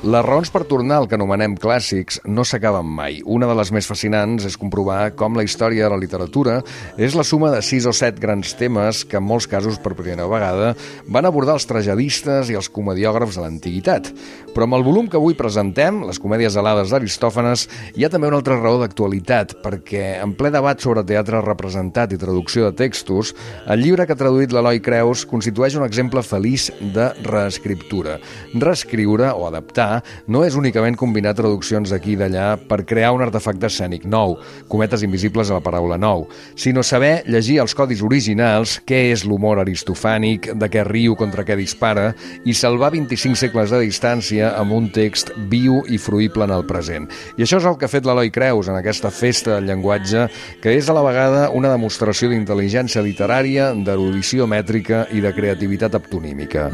Les raons per tornar al que anomenem clàssics no s'acaben mai. Una de les més fascinants és comprovar com la història de la literatura és la suma de 6 o 7 grans temes que en molts casos per primera vegada van abordar els tragedistes i els comediògrafs de l'antiguitat. Però amb el volum que avui presentem, les comèdies alades d'Aristòfanes, hi ha també una altra raó d'actualitat, perquè en ple debat sobre teatre representat i traducció de textos, el llibre que ha traduït l'Eloi Creus constitueix un exemple feliç de reescriptura. Reescriure o adaptar no és únicament combinar traduccions d'aquí i d'allà per crear un artefacte escènic nou, cometes invisibles a la paraula nou, sinó saber llegir els codis originals, què és l'humor aristofànic, de què riu, contra què dispara, i salvar 25 segles de distància amb un text viu i fruïble en el present. I això és el que ha fet l'Eloi Creus en aquesta festa del llenguatge, que és a la vegada una demostració d'intel·ligència literària, d'erudició mètrica i de creativitat aptonímica.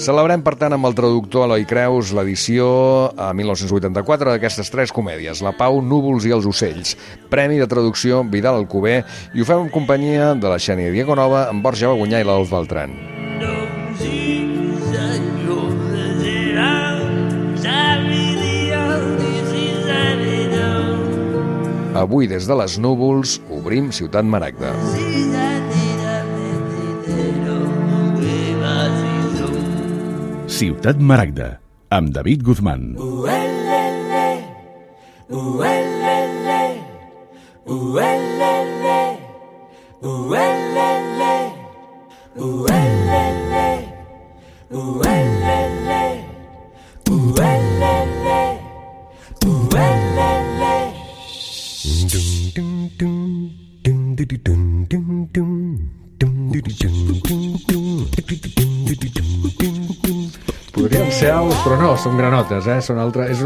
Celebrem, per tant, amb el traductor Eloi Creus l'edició a 1984 d'aquestes 3 comèdies, La Pau, Núvols i els ocells, Premi de Traducció Vidal Alcover, i ho fem en companyia de la Xènia Diaconova, en Borja Bagunyà i l'Adolf Beltran. Avui, des de les núvols, obrim Ciutat Maragda. Ciutat Maragda, amb David Guzmán. Podrien ser aus, però no, són granotes, és un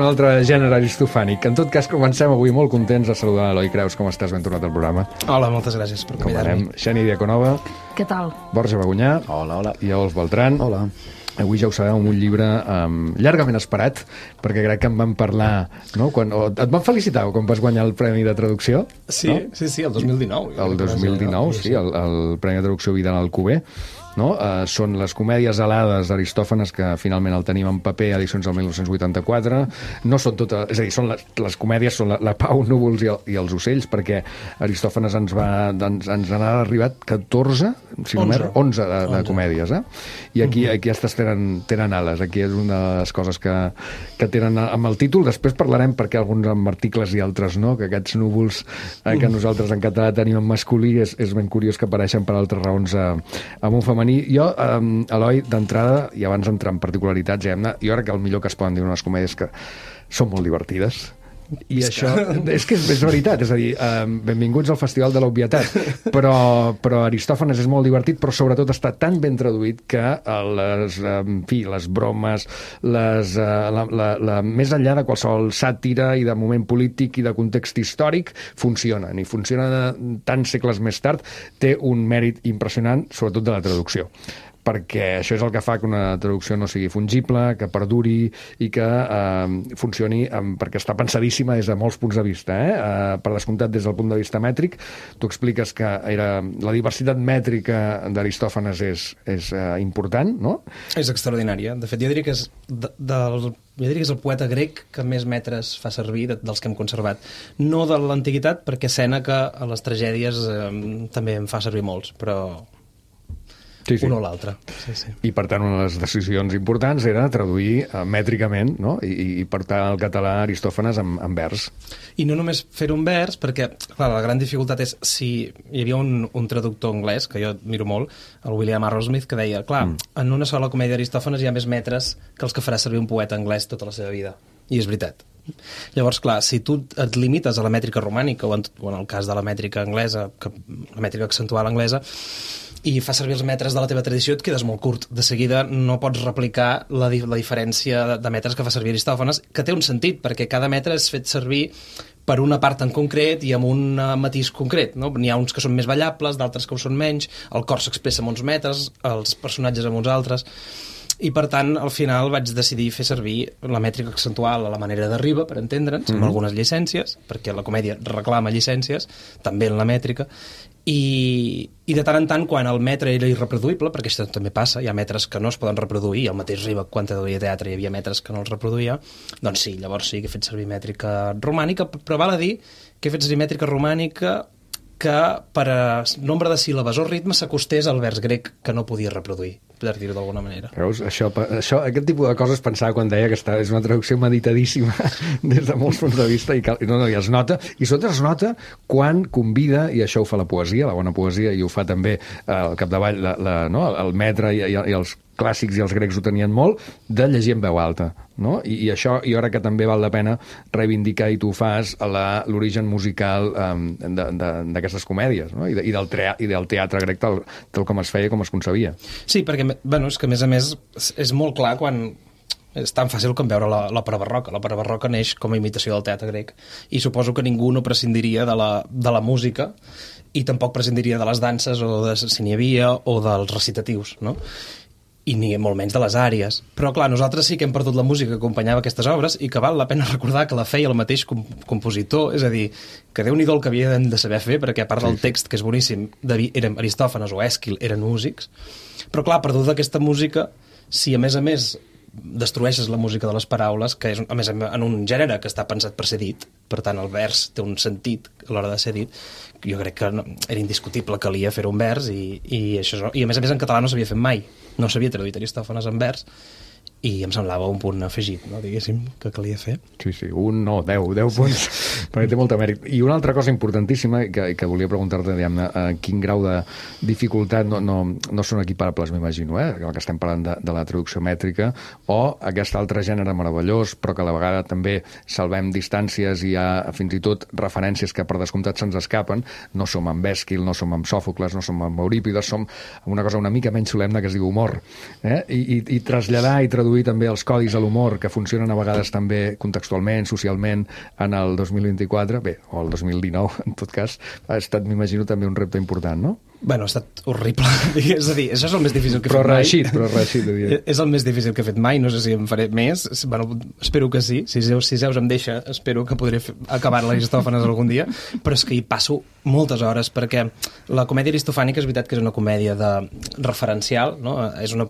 altre gènere aristofànic. En tot cas, comencem avui molt contents de saludar l'Eloi Creus. Com estàs? Ben tornat al programa. Hola, moltes gràcies per convidar-me. Xènia Diaconova. Què tal? Borja Bagunyà. Hola. I Adolf Beltran. Hola. Avui ja ho sabeu, amb un llibre llargament esperat, perquè crec que en vam parlar, no? Et van felicitar quan vas guanyar el Premi de Traducció? Sí, no? sí, el 2019. El 2019, sí, el Premi de Traducció Vidal Alcover. No? Són les comèdies alades d'Aristòfanes, que finalment el tenim en paper, edicions del 1984. No són totes, és a dir, són les comèdies són la Pau, Núvols i els ocells, perquè Aristòfanes ens n'ha arribat 14, si no 11 de comèdies, I aquí aquestes tenen ales. Aquí és una de les coses que tenen amb el títol. Després parlarem perquè alguns amb articles i altres no, que aquests núvols que nosaltres en català tenim en masculí és ben curiós que apareixen per altres raons amb un femení. Jo, Eloi, d'entrada, i abans d'entrar en particularitats, jo crec que el millor que es poden dir unes comèdies que són molt divertides. I això és que és veritat, és a dir, benvinguts al Festival de l'Obvietat, però Aristòfanes és molt divertit, però sobretot està tan ben traduït que les bromes, més enllà de qualsevol sàtira i de moment polític i de context històric, funcionen, i funcionen tants segles més tard. Té un mèrit impressionant, sobretot de la traducció, perquè això és el que fa que una traducció no sigui fungible, que perduri i que funcioni, perquè està pensadíssima des de molts punts de vista. Per descomptat, des del punt de vista mètric, tu expliques que la diversitat mètrica d'Aristòfanes és important, no? És extraordinària. De fet, jo diria que és el poeta grec que més metres fa servir dels que hem conservat. No de l'antiguitat, perquè Sèneca a les tragèdies també en fa servir molts, però sí. Un o l'altre. Sí. I, per tant, una de les decisions importants era traduir mètricament, no? I portar el català a Aristòfanes en vers. I no només fer-ho en vers, perquè, clar, la gran dificultat és si hi havia un traductor anglès, que jo miro molt, el William Arrowsmith, que deia, clar, en una sola comèdia d'Aristòfanes hi ha més metres que els que farà servir un poeta anglès tota la seva vida. I és veritat. Llavors, clar, si tu et limites a la mètrica romànica, o en el cas de la mètrica anglesa, la mètrica accentual anglesa, i fa servir els metres de la teva tradició, et quedes molt curt. De seguida no pots replicar la diferència de metres que fa servir Aristòfanes, que té un sentit, perquè cada metre és fet servir per una part en concret i amb un matís concret, no? N'hi ha uns que són més ballables, d'altres que ho són menys, el cor s'expressa amb uns metres, els personatges amb uns altres. I, per tant, al final vaig decidir fer servir la mètrica accentual a la manera d'arriba, per entendre'ns, amb algunes llicències, perquè la comèdia reclama llicències, també en la mètrica, i de tant en tant, quan el metre era irreproduïble, perquè això també passa, hi ha metres que no es poden reproduir, el mateix Riba, quan traduïa teatre, hi havia metres que no els reproduïa, doncs sí, llavors sí que he fet servir mètrica romànica, però val a dir que he fet servir mètrica romànica que per nombre de síl·labes o ritme s'acostés al vers grec que no podia reproduir, per dir-ho d'alguna manera. Veus? Aquest tipus de coses pensava quan deia que és una traducció meditadíssima des de molts punts de vista i es nota, i sobretot es nota quan convida, i això ho fa la poesia, la bona poesia, i ho fa també al capdavall el metre i els clàssics i els grecs ho tenien molt, de llegir en veu alta, no? I això jo crec que també val la pena reivindicar, i tu ho fas, l'origen musical d'aquestes comèdies, no? I del teatre grec tal com es feia, com es concebia. Sí, perquè, és que a més és molt clar quan és tan fàcil com veure l'òpera barroca. L'òpera barroca neix com a imitació del teatre grec, i suposo que ningú no prescindiria de la música, i tampoc prescindiria de les danses, o si n'hi havia, o dels recitatius, no? I ni molt menys de les àries. Però, clar, nosaltres sí que hem perdut la música que acompanyava aquestes obres, i que val la pena recordar que la feia el mateix compositor, és a dir, que Déu-n'hi-do el que havien de saber fer, perquè a part del text, que és boníssim, Aristòfanes o Èsquil eren músics, però, clar, perduda aquesta música, si a més destrueixes la música de les paraules, que és, a més, en un gènere que està pensat per ser dit, per tant, el vers té un sentit a l'hora de ser dit, jo crec que era indiscutible que calia fer un vers, i a més en català no s'havia fet mai, no s'havia traduït Aristòfanes en vers, i em semblava un punt afegit, no, diguéssim, que calia fer. Sí, 10 punts, perquè té molta mèrit. I una altra cosa importantíssima que volia preguntar-te, diguem-ne, quin grau de dificultat no són equiparables, m'imagino, el que estem parlant de la traducció mètrica, o aquest altre gènere meravellós, però que a la vegada també salvem distàncies i hi ha fins i tot referències que per descomptat se'ns escapen. No som amb Èsquil, no som amb Sòfocles, no som amb Eurípides, som amb una cosa una mica menys solemne que es diu humor. I traslladar i traduir també els codis a l'humor, que funcionen a vegades també contextualment, socialment, en el 2024, o el 2019, en tot cas, ha estat, m'imagino, també un repte important, no? Bueno, ha estat horrible. És a dir, això és el més difícil que he fet mai. Però reeixit. És el més difícil que he fet mai, no sé si en faré més. Bueno, espero que sí. Si Zeus em deixa, espero que podré acabar l'Aristòfanes algun dia, però és que hi passo moltes hores, perquè la comèdia aristofànica és veritat que és una comèdia referencial, no? És una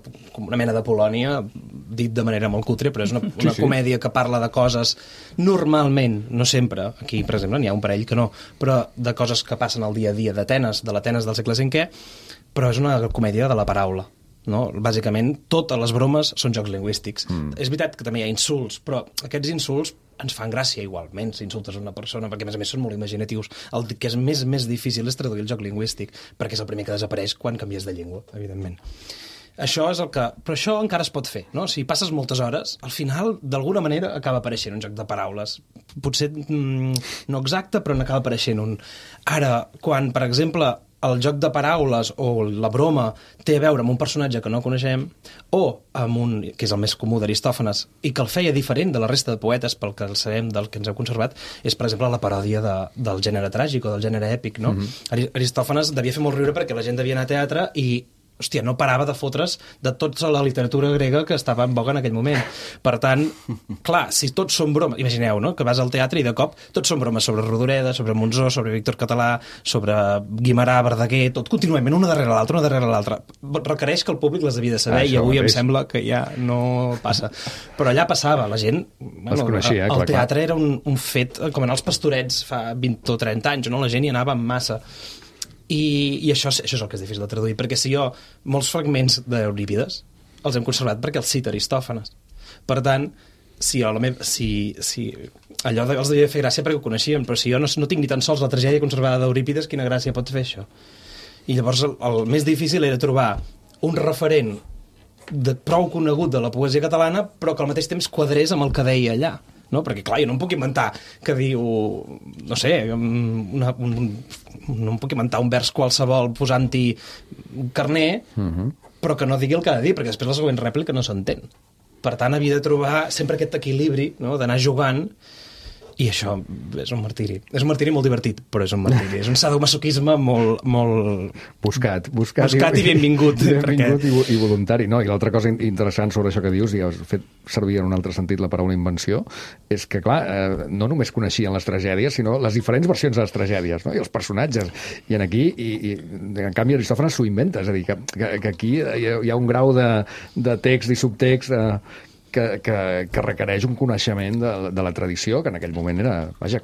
mena de Polònia, dit de manera molt cutre, però és una comèdia que parla de coses normalment, no sempre, aquí, per exemple, n'hi ha un parell que no, però de coses que passen al dia a dia d'Atenes, de l'Atenes del segle V, però és una comèdia de la paraula, no? Bàsicament, totes les bromes són jocs lingüístics. És veritat que també hi ha insults, però aquests insults ens fan gràcia igualment si insultes una persona, perquè a més són molt imaginatius. El que és més difícil és traduir el joc lingüístic, perquè és el primer que desapareix quan canvies de llengua, evidentment. Això és el que... Però això encara es pot fer, no? Si passes moltes hores, al final, d'alguna manera, acaba apareixent un joc de paraules. Potser no exacte, però n'acaba apareixent un. Ara, quan, per exemple, el joc de paraules o la broma té a veure amb un personatge que no coneixem, o amb un, que és el més comú d'Aristòfanes, i que el feia diferent de la resta de poetes, pel que el sabem del que ens heu conservat, és, per exemple, la paròdia del gènere tràgic o del gènere èpic, no? Aristòfanes devia fer molt riure perquè la gent devia anar a teatre i hòstia, no parava de fotre's de tota la literatura grega que estava en boga en aquell moment. Per tant, clar, si tots són bromes... Imagineu, no?, que vas al teatre i de cop tots són bromes sobre Rodoreda, sobre Monzó, sobre Víctor Català, sobre Guimerà, Verdaguer, tot contínuament, una darrere l'altra. Requereix que el públic les havia de saber i avui em sembla que ja no passa. Però allà passava, la gent... Bueno, coneixia, el teatre era un fet, com anar als Pastorets fa 20 o 30 anys, no? La gent hi anava en massa. I això és el que és difícil de traduir, perquè si jo molts fragments d'Eurípides els hem conservat perquè els cita Aristòfanes. Per tant, si allò els devia fer gràcia perquè ho coneixien, però si jo no tinc ni tan sols la tragèdia conservada d'Eurípides, quina gràcia pot fer això? I llavors el més difícil era trobar un referent prou conegut de la poesia catalana, però que al mateix temps quadrés amb el que deia allà. No? Perquè, clar, jo no em puc inventar que diu, no sé, no em puc inventar un vers qualsevol posant-hi carner, però que no digui el que ha de dir, perquè després la següent rèplica no s'entén. Per tant, havia de trobar sempre aquest equilibri, no?, d'anar jugant, I això és un martiri. És un martiri molt divertit, però és un martiri. És un sadomasoquisme molt... Buscat i benvingut. I voluntari. No? I l'altra cosa interessant sobre això que dius, i has fet servir en un altre sentit la paraula invenció, és que, clar, no només coneixien les tragèdies, sinó les diferents versions de les tragèdies, no? I els personatges. I aquí, en canvi, Aristòfanes s'ho inventa. És a dir, que aquí hi ha un grau de text i subtext que requereix un coneixement de la tradició, que en aquell moment era,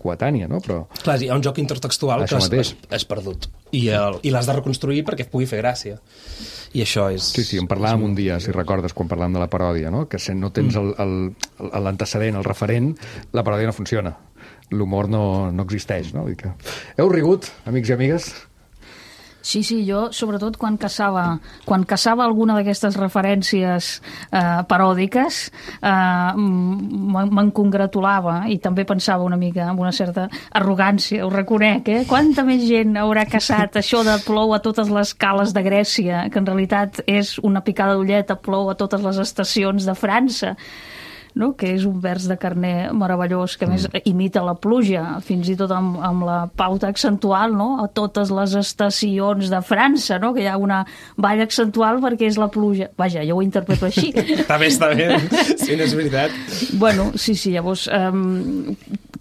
coetània, no? Però... Clar, hi ha un joc intertextual que és perdut. I l'has de reconstruir perquè pugui fer gràcia. I això és... Sí, en parlàvem un dia, si recordes, quan parlàvem de la paròdia, no? Que si no tens l'antecedent, el referent, la paròdia no funciona. L'humor no existeix, no? Vull dir que... Heu rigut, amics i amigues? Sí, jo, sobretot, quan caçava alguna d'aquestes referències paròdiques, me'n congratulava i també pensava una mica amb una certa arrogància, ho reconec, Quanta més gent haurà caçat això de plou a totes les cales de Grècia, que en realitat és una picada d'ullet a plou a totes les estacions de França, no? Que és un vers de Carner meravellós, que a més imita la pluja, fins i tot amb la pauta accentual, no? A totes les estacions de França, no? Que hi ha una ball accentual perquè és la pluja. Vaja, jo ho interpreto així. Està bé, sí, no és veritat. Bueno, sí, llavors...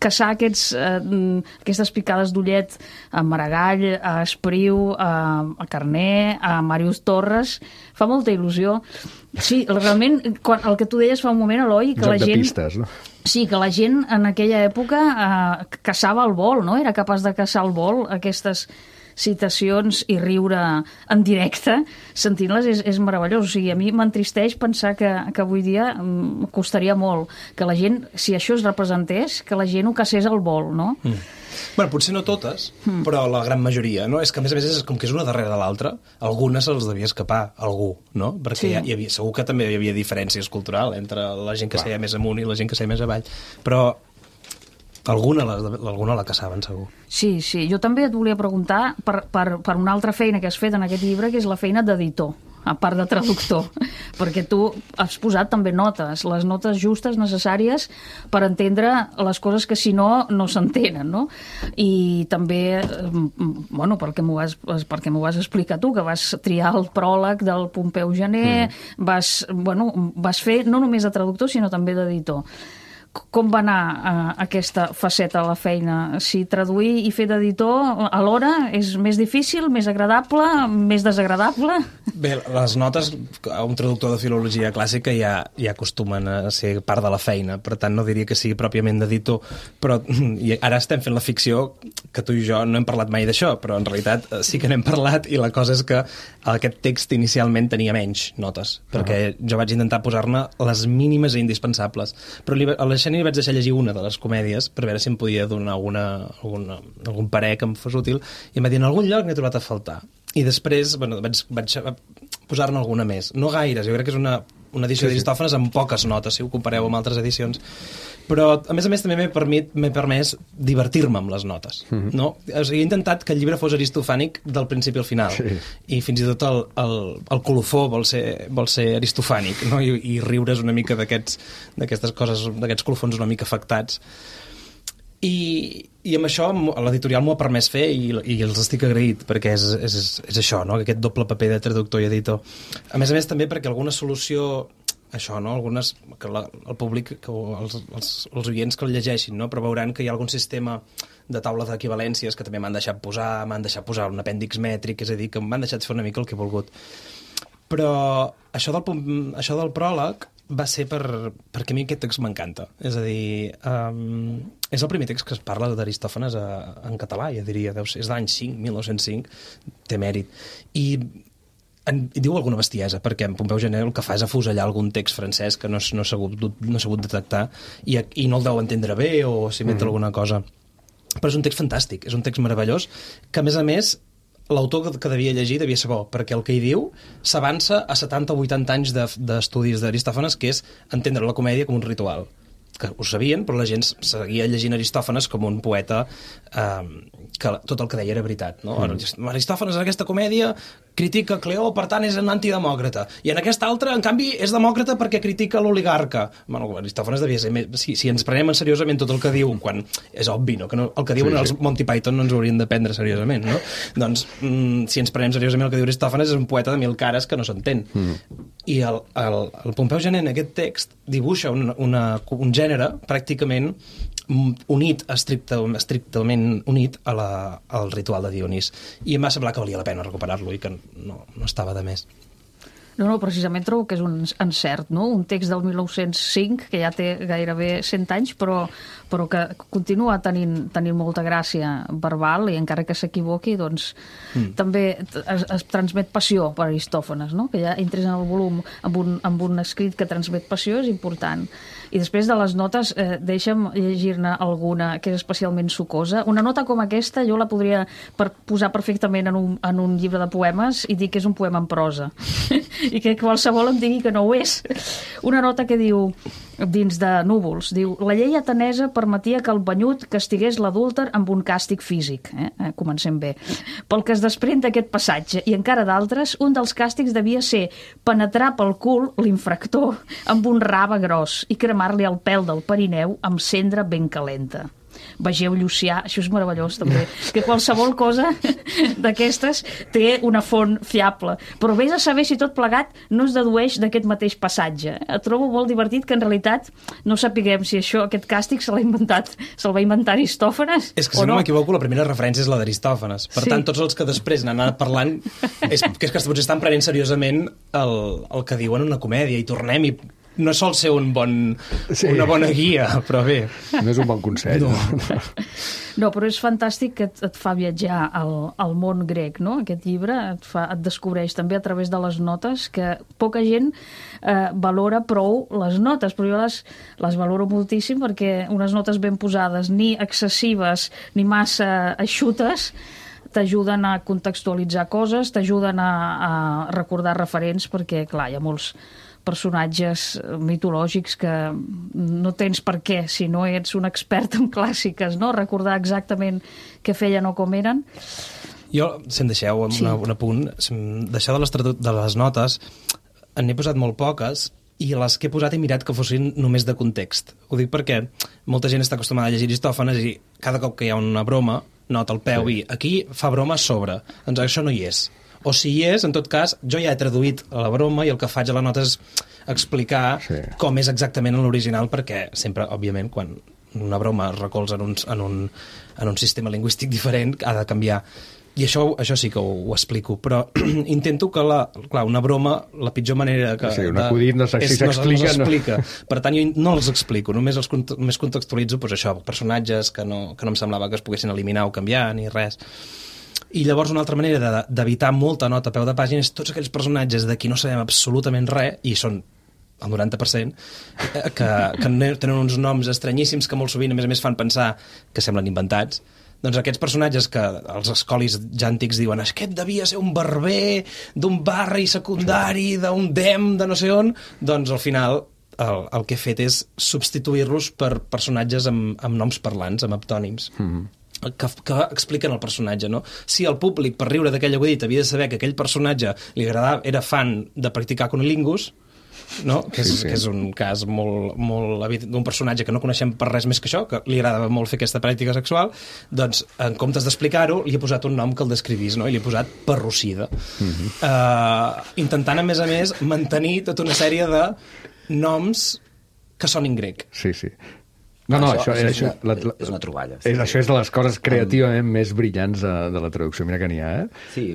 caçar aquestes picades d'ullet a Maragall, a Espriu, a Carner, a Màrius Torres, fa molta il·lusió. Sí, realment, el que tu deies fa un moment, Eloi, que joc la gent... de pistes, no? Sí, que la gent en aquella època caçava al vol, no? Era capaç de caçar al vol aquestes citacions i riure en directe, sentint-les és meravellós. O sigui, a mi m'entristeix pensar que avui dia costaria molt que la gent, si això es representés, que la gent ho caçés al vol, no? Bueno, potser no totes, però la gran majoria, no? És que, a més, és com que és una darrere de l'altra, algunes se'ls devia escapar, algú, no? Perquè hi havia, segur que també hi havia diferències culturals entre la gent que seia més amunt i la gent que seia més avall, però alguna la caçaven, segur. Sí, jo també et volia preguntar per una altra feina que has fet en aquest llibre, que és la feina d'editor, a part de traductor, perquè tu has posat també notes, les notes justes, necessàries, per entendre les coses que si no s'entenen, no? I també, bueno, perquè m'ho vas explicar tu, que vas triar el pròleg del Pompeu Gener, vas fer no només de traductor, sinó també d'editor. Com va anar aquesta faceta de la feina? Si traduir i fer d'editor alhora és més difícil, més agradable, més desagradable? Bé, les notes, un traductor de filologia clàssica ja acostumen a ser part de la feina, per tant no diria que sigui pròpiament d'editor, però ara estem fent la ficció que tu i jo no hem parlat mai d'això, però en realitat sí que n'hem parlat i la cosa és que aquest text inicialment tenia menys notes, perquè jo vaig intentar posar-ne les mínimes i indispensables, però a la Xènia vaig deixar llegir una de les comèdies per veure si em podia donar algun parer que em fos útil, i em va dir, en algun lloc n'he trobat a faltar. I després vaig posar-ne alguna més. No gaires, jo crec que és una edició d'Aristòfanes amb poques notes, si ho compareu amb altres edicions. Però, a més també m'he permès divertir-me amb les notes. No? O sigui, he intentat que el llibre fos aristofànic del principi al final. Sí. I fins i tot el colofó vol ser aristofànic, no? I riure's una mica d'aquestes coses, d'aquests colofons una mica afectats. I amb això l'editorial m'ho ha permès fer i els estic agraït, perquè és això, no? Aquest doble paper de traductor i editor. A més també perquè alguna solució, això, no? Algunes, que el públic, els oients que el llegeixin, no? Però veuran que hi ha algun sistema de taula d'equivalències que també m'han deixat posar un apèndix mètric, és a dir, que m'han deixat fer una mica el que he volgut. Però això del pròleg va ser perquè a mi aquest text m'encanta. És a dir, és el primer text que es parla d'Aristòfanes en català, ja diria, és de l'any 1905, té mèrit. I diu alguna bestiesa, perquè en Pompeu Gener el que fa és afusellar algun text francès que no s'ha sabut detectar i no el deu entendre bé o s'inventa alguna cosa. Però és un text fantàstic, és un text meravellós, que a més l'autor que devia llegir devia ser bo, perquè el que hi diu s'avança a 70 o 80 anys d'estudis d'Aristòfanes, que és entendre la comèdia com un ritual. Que ho sabien, però la gent seguia llegint Aristòfanes com un poeta que tot el que deia era veritat. No? Aristòfanes en aquesta comèdia, critica Cleó, per tant és un antidemòcrata. I en aquesta altra, en canvi, és demòcrata perquè critica l'oligarca. Bueno, Aristòfanes devia ser... Si ens prenem seriosament tot el que diu, quan és obvi, no? Que no, el que diuen els Monty Python no ens ho haurien de prendre seriosament, no? Doncs, si ens prenem seriosament el que diu Aristòfanes, és un poeta de 1000 cares que no s'entén. I el Pompeu Gener en aquest text dibuixa un gènere pràcticament unit, estrictament unit al ritual de Dionís. I em va semblar que valia la pena recuperar-lo i que no estava de més. No, precisament trobo que és un encert, no? Un text del 1905, que ja té gairebé 100 anys, però que continua tenint molta gràcia verbal i encara que s'equivoqui, doncs també es transmet passió per Aristòfanes, no? Que ja entres en el volum amb un escrit que transmet passió és important. I després de les notes, deixa'm llegir-ne alguna que és especialment sucosa. Una nota com aquesta jo la podria posar perfectament en un llibre de poemes i dir que és un poema en prosa. I que qualsevol em digui que no ho és. Una nota que diu, dins de Núvols, diu: la llei atenesa permetia que el banyut castigués l'adúlter amb un càstig físic. Comencem bé. Pel que es desprèn d'aquest passatge, i encara d'altres, un dels càstigs devia ser penetrar pel cul l'infractor amb un rave gros i cremar-li el pèl del perineu amb cendra ben calenta. Vegeu Llucià, això és meravellós també, que qualsevol cosa d'aquestes té una font fiable, però vés a saber si tot plegat no es dedueix d'aquest mateix passatge. Trobo molt divertit que en realitat no sapiguem si aquest càstig se'l va inventar Aristòfanes és que si no m'equivoco la primera referència és la d'Aristòfanes, per tant tots els que després n'han anat parlant és que potser estan prenent seriosament el que diuen una comèdia i tornem i no sol ser una bona guia, però bé. No és un bon consell. No, però és fantàstic que et fa viatjar al món grec, no? Aquest llibre et descobreix també a través de les notes que poca gent valora prou les notes, però jo les valoro moltíssim perquè unes notes ben posades, ni excessives ni massa eixutes, t'ajuden a contextualitzar coses, t'ajuden a recordar referents, perquè, clar, hi ha molts personatges mitològics que no tens per què, si no ets un expert en clàssiques, no? Recordar exactament què feien o com eren. Jo, si em deixeu un apunt, d'això de les notes, n'he posat molt poques, i les que he posat he mirat que fossin només de context. Ho dic perquè molta gent està acostumada a llegir Aristòfanes i cada cop que hi ha una broma, nota al peu i aquí fa broma sobre. Doncs això no hi és. O si hi és, en tot cas, jo ja he traduït la broma i el que faig a la nota és explicar com és exactament en l'original, perquè sempre, òbviament, quan una broma es recolza en un sistema lingüístic diferent, ha de canviar. I això sí que ho explico, però intento que, una broma, la pitjor manera que... Sí, un acudit no s'explica. Per tant, jo no els explico, només contextualitzo això, personatges que no em semblava que es poguessin eliminar o canviar, ni res. I llavors una altra manera d'evitar molta nota a peu de pàgina és tots aquells personatges de qui no sabem absolutament res, i són el 90%, que tenen uns noms estranyíssims que molt sovint, a més fan pensar que semblen inventats. Doncs aquests personatges que els escolis ja antics diuen aquest devia ser un barber d'un barri secundari, d'un dem, de no sé on, doncs al final el que he fet és substituir-los per personatges amb noms parlants, amb heptònims. Que expliquen el personatge, no? Si el públic, per riure d'aquell acudit, havia de saber que aquell personatge li agradava, era fan de practicar cunilingus, no? Que és un cas molt evident d'un personatge que no coneixem per res més que això, que li agradava molt fer aquesta pràctica sexual, doncs, en comptes d'explicar-ho, li he posat un nom que el descrivís, no? I li he posat Parrocida. Intentant, a més, mantenir tota una sèrie de noms que són en grec. Sí. Això és una troballa. Això és de les coses creativament més brillants de la traducció. Mira que n'hi ha, Sí,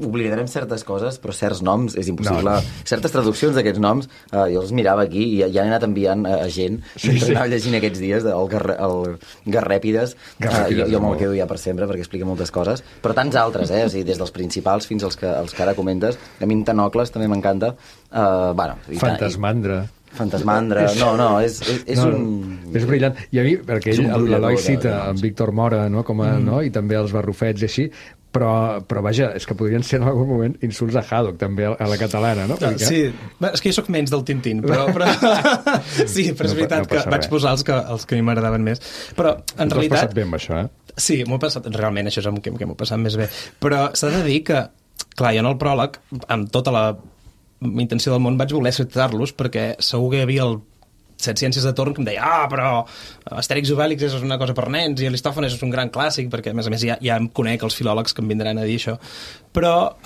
oblidarem certes coses, però certs noms és impossible. Certes traduccions d'aquests noms, jo els mirava aquí i ja he anat enviant a gent mentre anava llegint aquests dies, el Garrèpides, jo me'l quedo ja per sempre perquè explica moltes coses, però tants altres, o sigui, des dels principals fins als que ara comentes. A mi Tenocles també m'encanta. Fantasmandra, és brillant. I a mi, perquè l'Eloi cita en Víctor Mora, i també els barrufets i així, però vaja, és que podrien ser en algun moment insults a Haddock, també a la catalana, no? Sí, és que jo soc menys del Tintín, però sí, però és veritat que vaig posar els que a mi m'agradaven més. Però, en realitat... T'ho has passat bé amb això, Sí, m'ho he passat, realment, això és el que m'ho he passat més bé. Però s'ha de dir que clar, jo en el pròleg, amb tota la intenció del món, vaig voler citar-los perquè segur que hi havia el Set Ciències de torn que em deia però Astèrix i Obèlix és una cosa per nens i Aristòfanes és un gran clàssic, perquè a més ja em conec els filòlegs que em vindran a dir això, però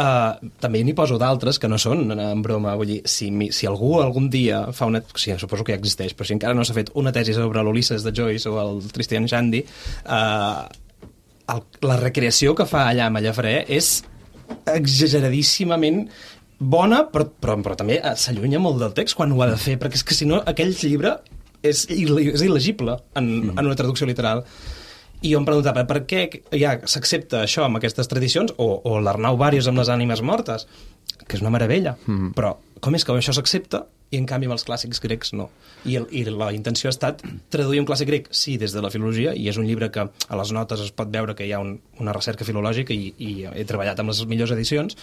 també n'hi poso d'altres que no són en broma. Vull dir, si algú algun dia fa una... Sí, suposo que ja existeix, però si encara no s'ha fet una tesi sobre l'Ulisses de Joyce o el Tristram Shandy, la recreació que fa allà a Mallafrè és exageradíssimament bona, però també s'allunya molt del text quan ho ha de fer, perquè és que si no aquell llibre és il·legible en una traducció literal. I jo em preguntava per què ja s'accepta això amb aquestes tradicions, o l'Arnau Bàrios amb les ànimes mortes, que és una meravella, però com és que això s'accepta i en canvi amb els clàssics grecs no? I la intenció ha estat traduir un clàssic grec, sí, des de la filologia, i és un llibre que a les notes es pot veure que hi ha una recerca filològica i he treballat amb les millors edicions,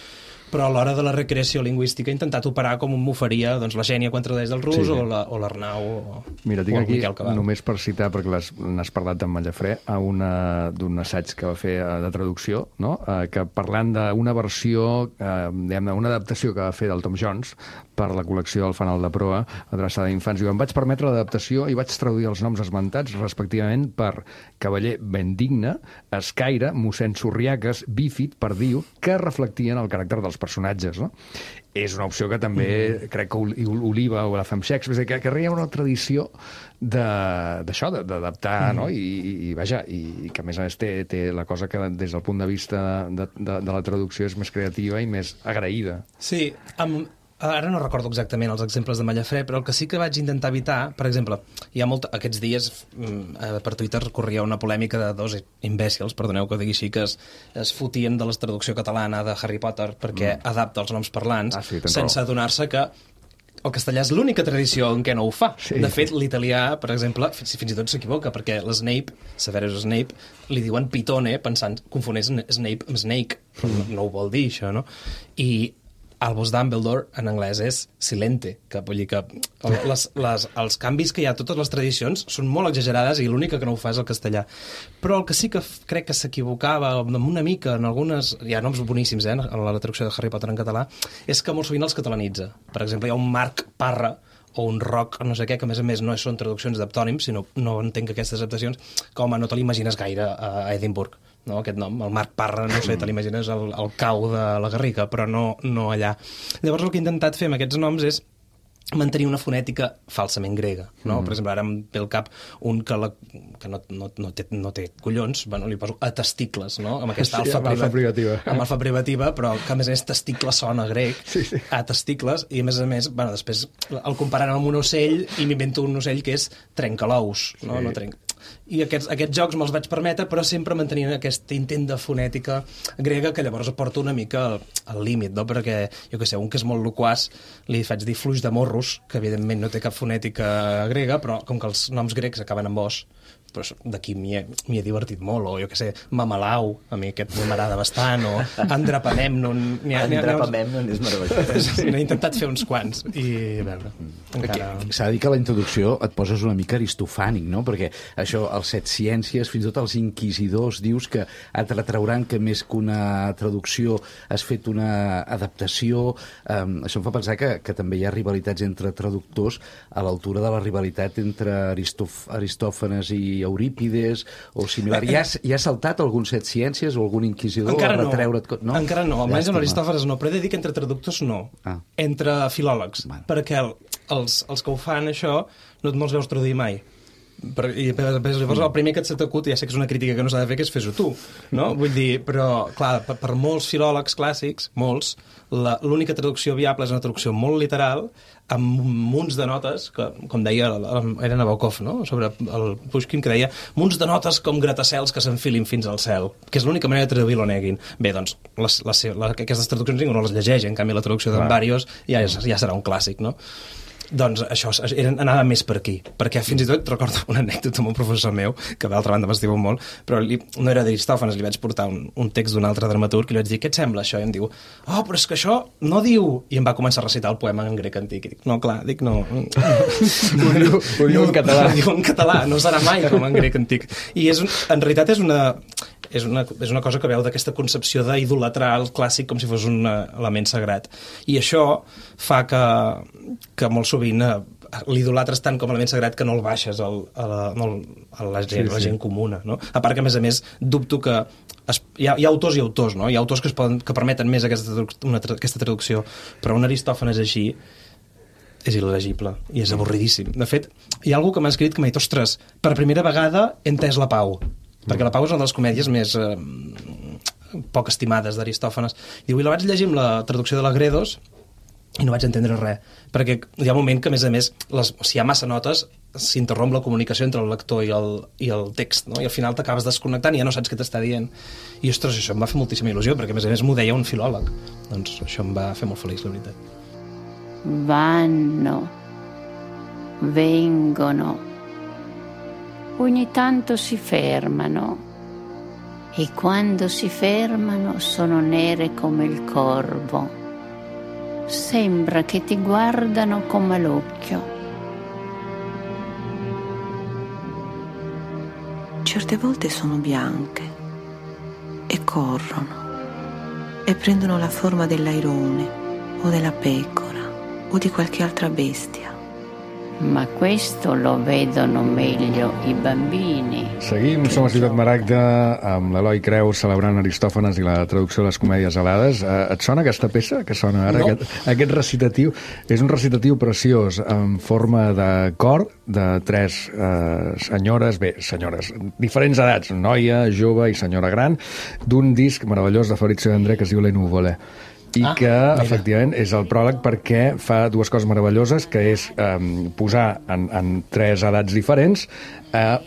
però a l'hora de la recreació lingüística he intentat operar com m'ho faria doncs, la Xènia quan tradueix del rus, sí. o l'Arnau Mira, tinc aquí, només per citar, perquè n'has parlat amb Mallafrè, d'un assaig que va fer de traducció, no? Que parlant d'una versió, una adaptació que va fer del Tom Jones per la col·lecció del Fanal de Proa, adreçada a infants. Em vaig permetre l'adaptació i vaig traduir els noms esmentats, respectivament, per Cavaller Bendigne, Escaire, mossèn Sorriaques, Bífid, Perdiu, que reflectien el caràcter dels personatges, no? És una opció que també crec que Oliva o la Femme Shakespeare, que hi ha una tradició d'això, d'adaptar, no? I vaja, i que a més a més té la cosa que des del punt de vista de la traducció és més creativa i més agraïda. Sí, ara no recordo exactament els exemples de Mallafrè, però el que sí que vaig intentar evitar, per exemple, hi ha aquests dies per Twitter corria una polèmica de dos imbècils, perdoneu que ho digui així, que es fotien de la traducció catalana de Harry Potter perquè adapta els noms parlants, sense adonar-se que el castellà és l'única tradició en què no ho fa. Sí. De fet, l'italià, per exemple, fins i tot s'equivoca, perquè l'Snape, Severus Snape, li diuen Pitone, confonent Snape amb Snake, però no ho vol dir, això, no? I Albus Dumbledore, en anglès, és silente, que vull dir que els canvis que hi ha a totes les tradicions són molt exagerades i l'única que no ho fa és el castellà. Però el que sí que crec que s'equivocava una mica en algunes... Hi ha noms boníssims, en la traducció de Harry Potter en català, és que molt sovint els catalanitza. Per exemple, hi ha un Marc Parra o un Roc, no sé què, que a més no són traduccions d'aptònims, sinó no entenc aquestes adaptacions, com no te l'imagines gaire a Edimburg. No, aquest nom, el Marc Parra, no sé, te l'imagines el cau de la Garriga, però no allà. Llavors el que he intentat fer amb aquests noms és mantenir una fonètica falsament grega, no? Per exemple, ara em ve al cap un que no té collons, bueno, li poso a testicles, no? Amb aquesta alfa privativa. Amb alfa privativa, però que a més testicles sona grec, a testicles, i a més, bueno, després el comparant amb un ocell i m'invento un ocell que és trencalous, no? No trenca. I aquests jocs me'ls vaig permetre, però sempre mantenint aquest intent de fonètica grega que llavors porta una mica al límit, no? Perquè, jo què sé, un que és molt loquaç li faig dir fluix de morros, que evidentment no té cap fonètica grega, però com que els noms grecs acaben amb os, però d'aquí m'hi he divertit molt, o jo què sé, Mamalau, a mi aquest m'agrada bastant, o Andrapamemnon. Andrapamemnon és meravellós. N'he intentat fer uns quants, i a veure, encara... S'ha de dir que a la introducció et poses una mica aristofànic, no? Perquè això, els Set Ciències, fins i tot els inquisidors, dius que et retrauran que més que una traducció has fet una adaptació. Això em fa pensar que també hi ha rivalitats entre traductors a l'altura de la rivalitat entre Aristòfanes i Eurípides o similar. Ja has saltat algun Set Ciències o algun inquisidor encara a retreure't... No? Encara no, almenys amb Aristòfanes no, però he de dir que entre traductors no, entre filòlegs, perquè els que ho fan això no et veus traduir mai. I llavors el primer que et s'acut, ja sé que és una crítica que no s'ha de fer, que és fes-ho tu, no? Vull dir, però clar, per molts filòlegs clàssics, molts, l'única traducció viable és una traducció molt literal, amb munts de notes, que, com deia, era Nabokov, no? Sobre el Pushkin, que deia munts de notes com gratacels que s'enfilin fins al cel, que és l'única manera de traduir l'Onegin. Bé, doncs, aquestes traduccions ningú no les llegeix, en canvi la traducció d'en Bàrios ja serà un clàssic, no? Doncs això, anava més per aquí, perquè fins i tot recordo una anècdota amb un professor meu, que d'altra banda m'estima molt, però no era d'Aristòfanes, li vaig portar un text d'un altre dramaturg i li vaig dir, què et sembla això? I em diu, però és que això no diu... I em va començar a recitar el poema en grec antic. I dic, no, clar, no. Ho diu en català. Ho diu en català, no serà mai com en grec antic. I en realitat és una... és una cosa que veu d'aquesta concepció d'idolatrar el clàssic com si fos un element sagrat. I això fa que molt sovint l'idolatres tant com a element sagrat que no el baixes a la gent comuna, no? A part que, a més, dubto que hi ha autors i autors, no? Hi ha autors que permeten més aquesta traducció, però un Aristòfanes així és il·legible i és avorridíssim. De fet, hi ha algú que m'ha escrit que m'ha dit, ostres, per primera vegada he entès la Pau, perquè la Pau és una de les comèdies més poc estimades d'Aristòfanes. Diu, i la vaig llegir amb la traducció de la Gredos i no vaig entendre res, perquè hi ha un moment que, a més, si hi ha massa notes, s'interromp la comunicació entre el lector i el text, no? I al final t'acabes desconnectant i ja no saps què t'està dient. I, ostres, això em va fer moltíssima il·lusió, perquè, a més, m'ho deia un filòleg. Doncs això em va fer molt feliç, la veritat. Vanno, vengono, ogni tanto si fermano e quando si fermano sono nere come il corvo. Sembra che ti guardano come l'occhio. Certe volte sono bianche e corrono e prendono la forma dell'airone o della pecora o di qualche altra bestia. Ma questo lo vedono meglio i bambini. Seguim, som a Ciutat Maragda amb l'Eloi Creus celebrant Aristòfanes i la traducció de les comèdies alades. Et sona aquesta peça que sona ara? No. Aquest recitatiu és un recitatiu preciós en forma de cor de 3 senyores, diferents edats, noia, jove i senyora gran, d'un disc meravellós de Fabrizio De André que es diu Le Nuvole. I que, efectivament, és el pròleg perquè fa 2 coses meravelloses, que és posar en 3 edats diferents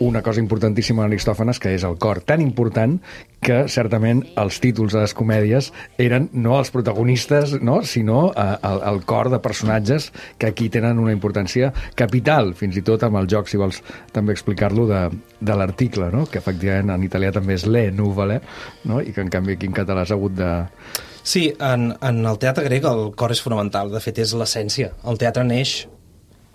una cosa importantíssima en Aristòfanes, que és el cor, tan important que, certament, els títols de les comèdies eren no els protagonistes, no? Sinó el cor de personatges que aquí tenen una importància capital, fins i tot amb el joc, si vols també explicar-lo, de l'article, no? Que, efectivament, en italià també és le nuvole, no? I que, en canvi, aquí en català s'ha hagut de... Sí, en el teatre grec el cor és fonamental, de fet és l'essència. El teatre neix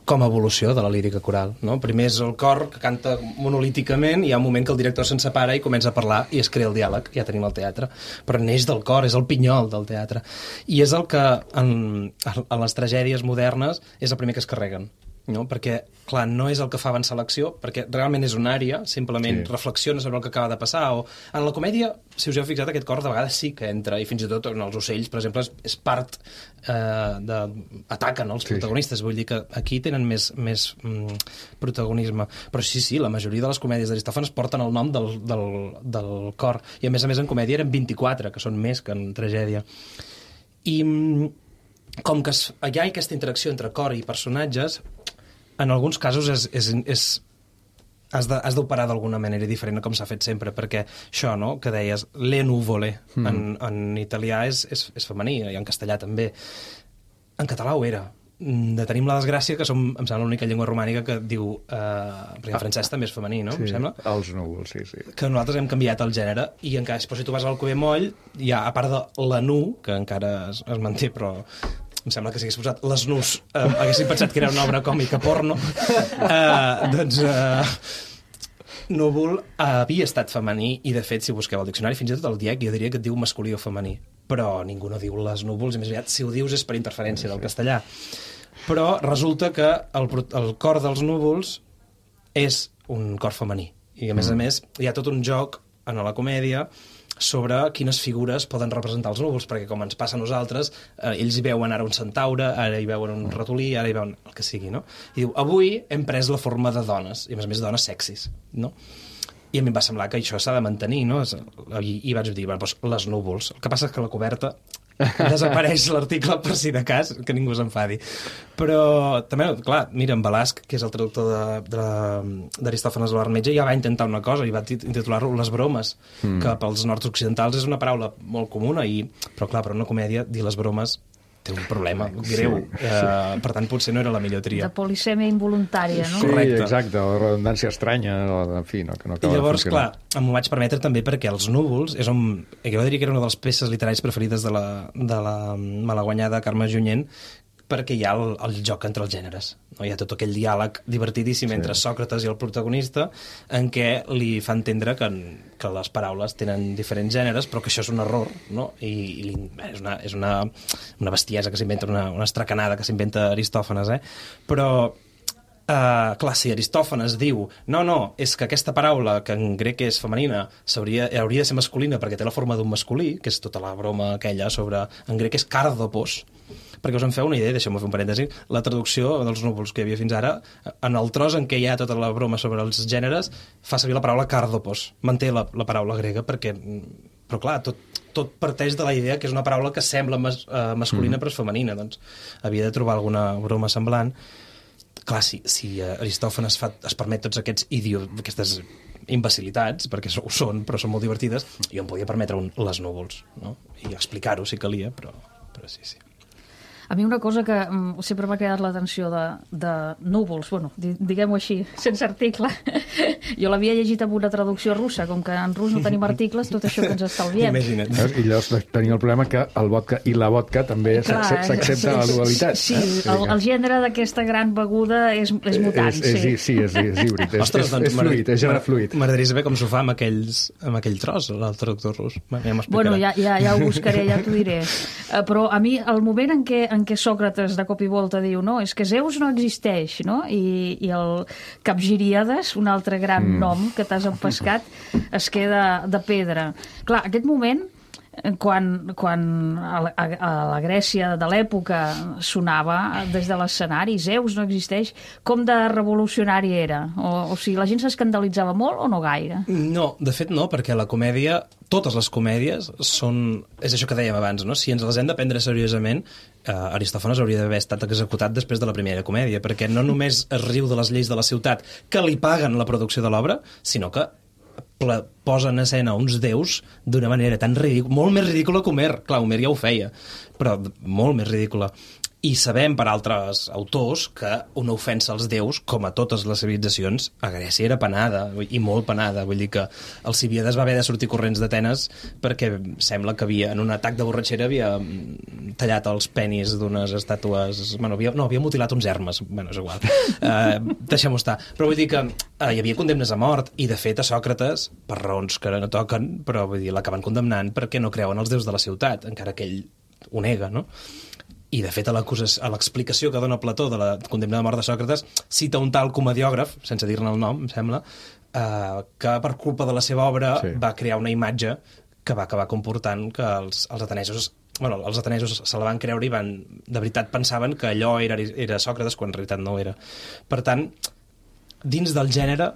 com a evolució de la lírica coral, no? Primer és el cor que canta monolíticament, i hi ha un moment que el director se'n separa i comença a parlar i es crea el diàleg, ja tenim el teatre. Però neix del cor, és el pinyol del teatre. I és el que en les tragèdies modernes és el primer que es carreguen. No? Perquè, clar, no és el que fa avançar l'acció, perquè realment és una àrea, simplement reflexiona sobre el que acaba de passar, o en la comèdia, si us heu fixat, aquest cor de vegades sí que entra, i fins i tot en els ocells, per exemple, és part ataquen els protagonistes, vull dir que aquí tenen més protagonisme, però sí, la majoria de les comèdies d'Aristòfanes porten el nom del cor, i a més en comèdia eren 24, que són més que en tragèdia. I com que hi ha aquesta interacció entre cor i personatges, en alguns casos has d'operar d'alguna manera diferent com s'ha fet sempre, perquè això, no?, que deies le nuvole, en italià és femení, i en castellà també. En català ho era. Tenim la desgràcia que som, em sembla, l'única llengua romànica que diu, perquè en francès també és femení, no? Sí, em sembla? Els núvols, sí. Que nosaltres hem canviat el gènere, i encara, si tu vas al Covemoll, hi ha, a part de la nu, que encara es manté, però em sembla que si hagués posat les nus haguessin pensat que era una obra còmica porno, doncs núvol havia estat femení, i de fet, si busqueu el diccionari, fins i tot el DIEC, jo diria que et diu masculí o femení, però ningú no diu les núvols, i més aviat, si ho dius és per interferència del castellà. Però resulta que el cor dels núvols és un cor femení, i a més hi ha tot un joc en la comèdia sobre quines figures poden representar els núvols, perquè com ens passa a nosaltres, ells hi veuen ara un centaure, ara hi veuen un ratolí, ara hi veuen el que sigui, no? I diu, avui hem pres la forma de dones, i a més dones sexis, no? I a mi em va semblar que això s'ha de mantenir, no? I vaig dir, bueno, doncs les núvols. El que passa és que la coberta desapareix l'article per si de cas, que ningú s'enfadi. Però també, clar, mira, en Balasc, que és el traductor d'Aristòfanes de l'Armetge, ja va intentar una cosa, i va titular-lo Les bromes, que pels nord-occidentals és una paraula molt comuna, però clar, per una comèdia, dir les bromes té un problema greu. Per tant, potser no era la millor tria. De polisèmia involuntària, no? Sí, correcte. exacte, o redundància estranya, en fi, no, que no acaba I llavors, de funcionar. clar, m'ho vaig permetre també perquè Els núvols és on... Jo diria que era una de les peces literàries preferides de la malaguanyada Carme Junyent, perquè hi ha el joc entre els gèneres. No? Hi ha tot aquell diàleg divertidíssim entre Sòcrates i el protagonista en què li fa entendre que les paraules tenen diferents gèneres, però que això és un error, no? I és una bestiesa que s'inventa, una estracanada que s'inventa Aristòfanes, però clar, si Aristòfanes diu no, és que aquesta paraula que en grec és femenina hauria de ser masculina perquè té la forma d'un masculí, que és tota la broma aquella sobre... En grec és kardopos, perquè us en feu una idea, deixeu-me fer un parèntesi, la traducció dels núvols que hi havia fins ara, en el tros en què hi ha tota la broma sobre els gèneres, fa servir la paraula kardopos, manté la paraula grega perquè... Però clar, tot parteix de la idea que és una paraula que sembla masculina però és femenina, doncs havia de trobar alguna broma semblant. Clar, si Aristòfanes es permet tots aquestes imbecilitats, perquè ho són, però són molt divertides, jo em podia permetre les núvols, no? I explicar-ho si calia, però sí. A mi una cosa que sempre m'ha cridat l'atenció de núvols, bueno, diguem-ho així, sense article. Jo l'havia llegit amb una traducció russa, com que en rus no tenim articles, tot això que ens estalviem. Imagina't. I llavors tenim el problema que el vodka i la vodka també s'accepta la dualitat. Sí, el gènere d'aquesta gran beguda és mutant, sí, és híbrid, és fluid, és gènere fluid. M'agradaria saber com s'ho fa amb aquell tros, el traductor rus. Bueno, ja ho buscaré, ja t'ho diré. Però a mi, el moment en què Sòcrates de cop i volta diu és que Zeus no existeix, no? I el Capgiríades, un altre gran nom que t'has empescat, es queda de pedra. Clar, aquest moment, quan a la Grècia de l'època sonava des de l'escenari, Zeus no existeix, com de revolucionari era? O sigui, la gent s'escandalitzava molt o no gaire? No, de fet no, perquè la comèdia, totes les comèdies és això que dèiem abans, no? Si ens les hem de prendre seriosament, Aristòfanes hauria d'haver estat executat després de la primera comèdia, perquè no només es riu de les lleis de la ciutat que li paguen la producció de l'obra, sinó que posa en escena uns déus d'una manera tan ridícula, molt més ridícula que Homer. Clar, Homer ja ho feia, però molt més ridícula. I sabem per altres autors que una ofensa als déus, com a totes les civilitzacions, a Grècia era penada, i molt penada. Vull dir que Alcibíades va haver de sortir corrents d'Atenes perquè sembla que en un atac de borratxera havia tallat els penis d'unes estàtues... havia mutilat uns hermes. És igual. Deixem-ho estar. Però vull dir que hi havia condemnes a mort, i de fet a Sòcrates, per raons que no toquen, però vull dir, l'acaben condemnant perquè no creuen els déus de la ciutat, encara que ell ho nega, no? I, de fet, a l'explicació que dona Plató de la condemna de mort de Sòcrates, cita un tal comediògraf, sense dir-ne el nom, em sembla, que per culpa de la seva obra va crear una imatge que va acabar comportant que els atenesos se la van creure i de veritat pensaven que allò era Sòcrates, quan en realitat no ho era. Per tant, dins del gènere,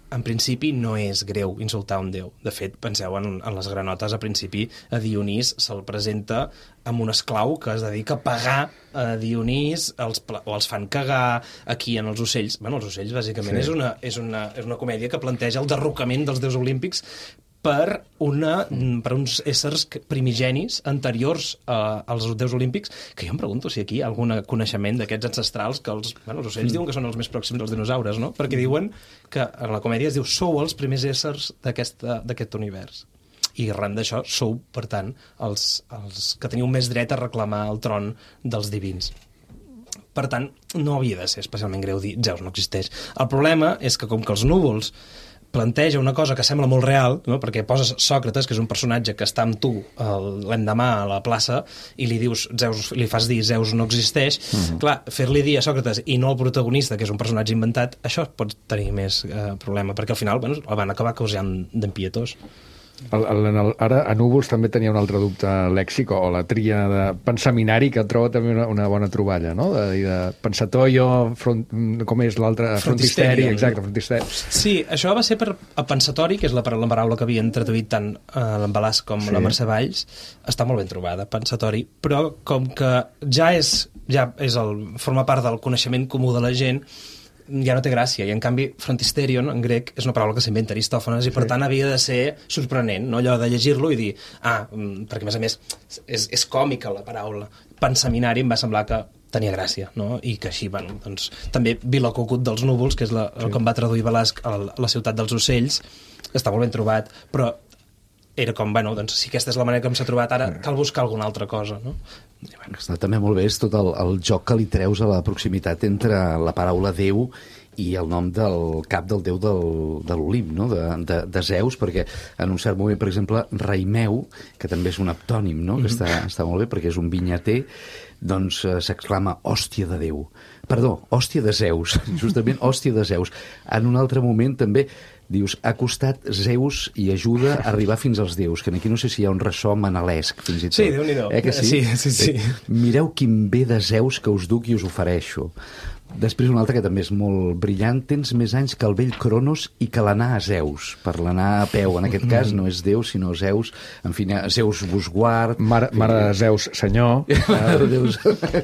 en principi no és greu insultar un déu. De fet, penseu en les granotes, a principi a Dionís se'l presenta amb un esclau que es dedica a pagar a Dionís, els fan cagar aquí en els ocells. Els ocells, bàsicament, és una comèdia que planteja el derrocament dels déus olímpics per uns éssers primigenis anteriors als déus olímpics, que jo em pregunto si aquí hi ha algun coneixement d'aquests ancestrals que els ocells diuen que són els més pròxims als dinosaures, no? Perquè diuen que en la comèdia es diu sou els primers éssers d'aquest univers. I arran d'això sou, per tant, els que teniu més dret a reclamar el tron dels divins. Per tant, no havia de ser especialment greu dir Zeus no existeix. El problema és que com que els núvols planteja una cosa que sembla molt real, no? Perquè poses Sòcrates, que és un personatge que està amb tu l'endemà a la plaça, i li fas dir Zeus no existeix. Clar, fer-li dir a Sòcrates i no al protagonista, que és un personatge inventat, això pot tenir més problema, perquè al final el van acabar causant d'empietós. Ara a Núvols també tenia un altre dubte lèxic, o la tria de pensaminari, que troba també una bona troballa, no? De pensatoio, com és l'altre? Frontisteri, exacte, frontisteri. Sí, això va ser per pensatori, que és la paraula que havien traduït tant l'Embalàs com la Mercè Valls. Està molt ben trobada, pensatori, però com que forma part del coneixement comú de la gent, ja no té gràcia, i en canvi frontisterion en grec és una paraula que s'inventa Aristòfanes i per tant havia de ser sorprenent, no? Allò de llegir-lo i dir, perquè a més és còmica la paraula. Pensaminari em va semblar que tenia gràcia, no? I que així, doncs, també Vila Cucut dels núvols, que és el que em va traduir Velasc a la ciutat dels ocells, està molt ben trobat, però era com, bueno, doncs si aquesta és la manera que s'ha trobat, ara cal buscar alguna altra cosa, no? Està també molt bé és tot el joc que li treus a la proximitat entre la paraula Déu i el nom del cap del déu de l'Olimp, no? de Zeus, perquè en un cert moment, per exemple, Raimeu, que també és un aptònim, no? Que està molt bé perquè és un vinyater, doncs s'exclama hòstia de Déu. Perdó, hòstia de Zeus, justament hòstia de Zeus. En un altre moment també dius, ha costat Zeus i ajuda a arribar fins als déus, que aquí no sé si hi ha un ressò manalesc, fins i tot. Sí, Déu-n'hi-do. Que sí? Sí. Mireu quin bé de Zeus que us duc i us ofereixo. Després un altre que també és molt brillant, tens més anys que el vell Cronos i que l'anar a Zeus, per l'anar a peu, en aquest cas no és Déu sinó Zeus, en fi, Zeus vos guard... Mare de Zeus, senyor.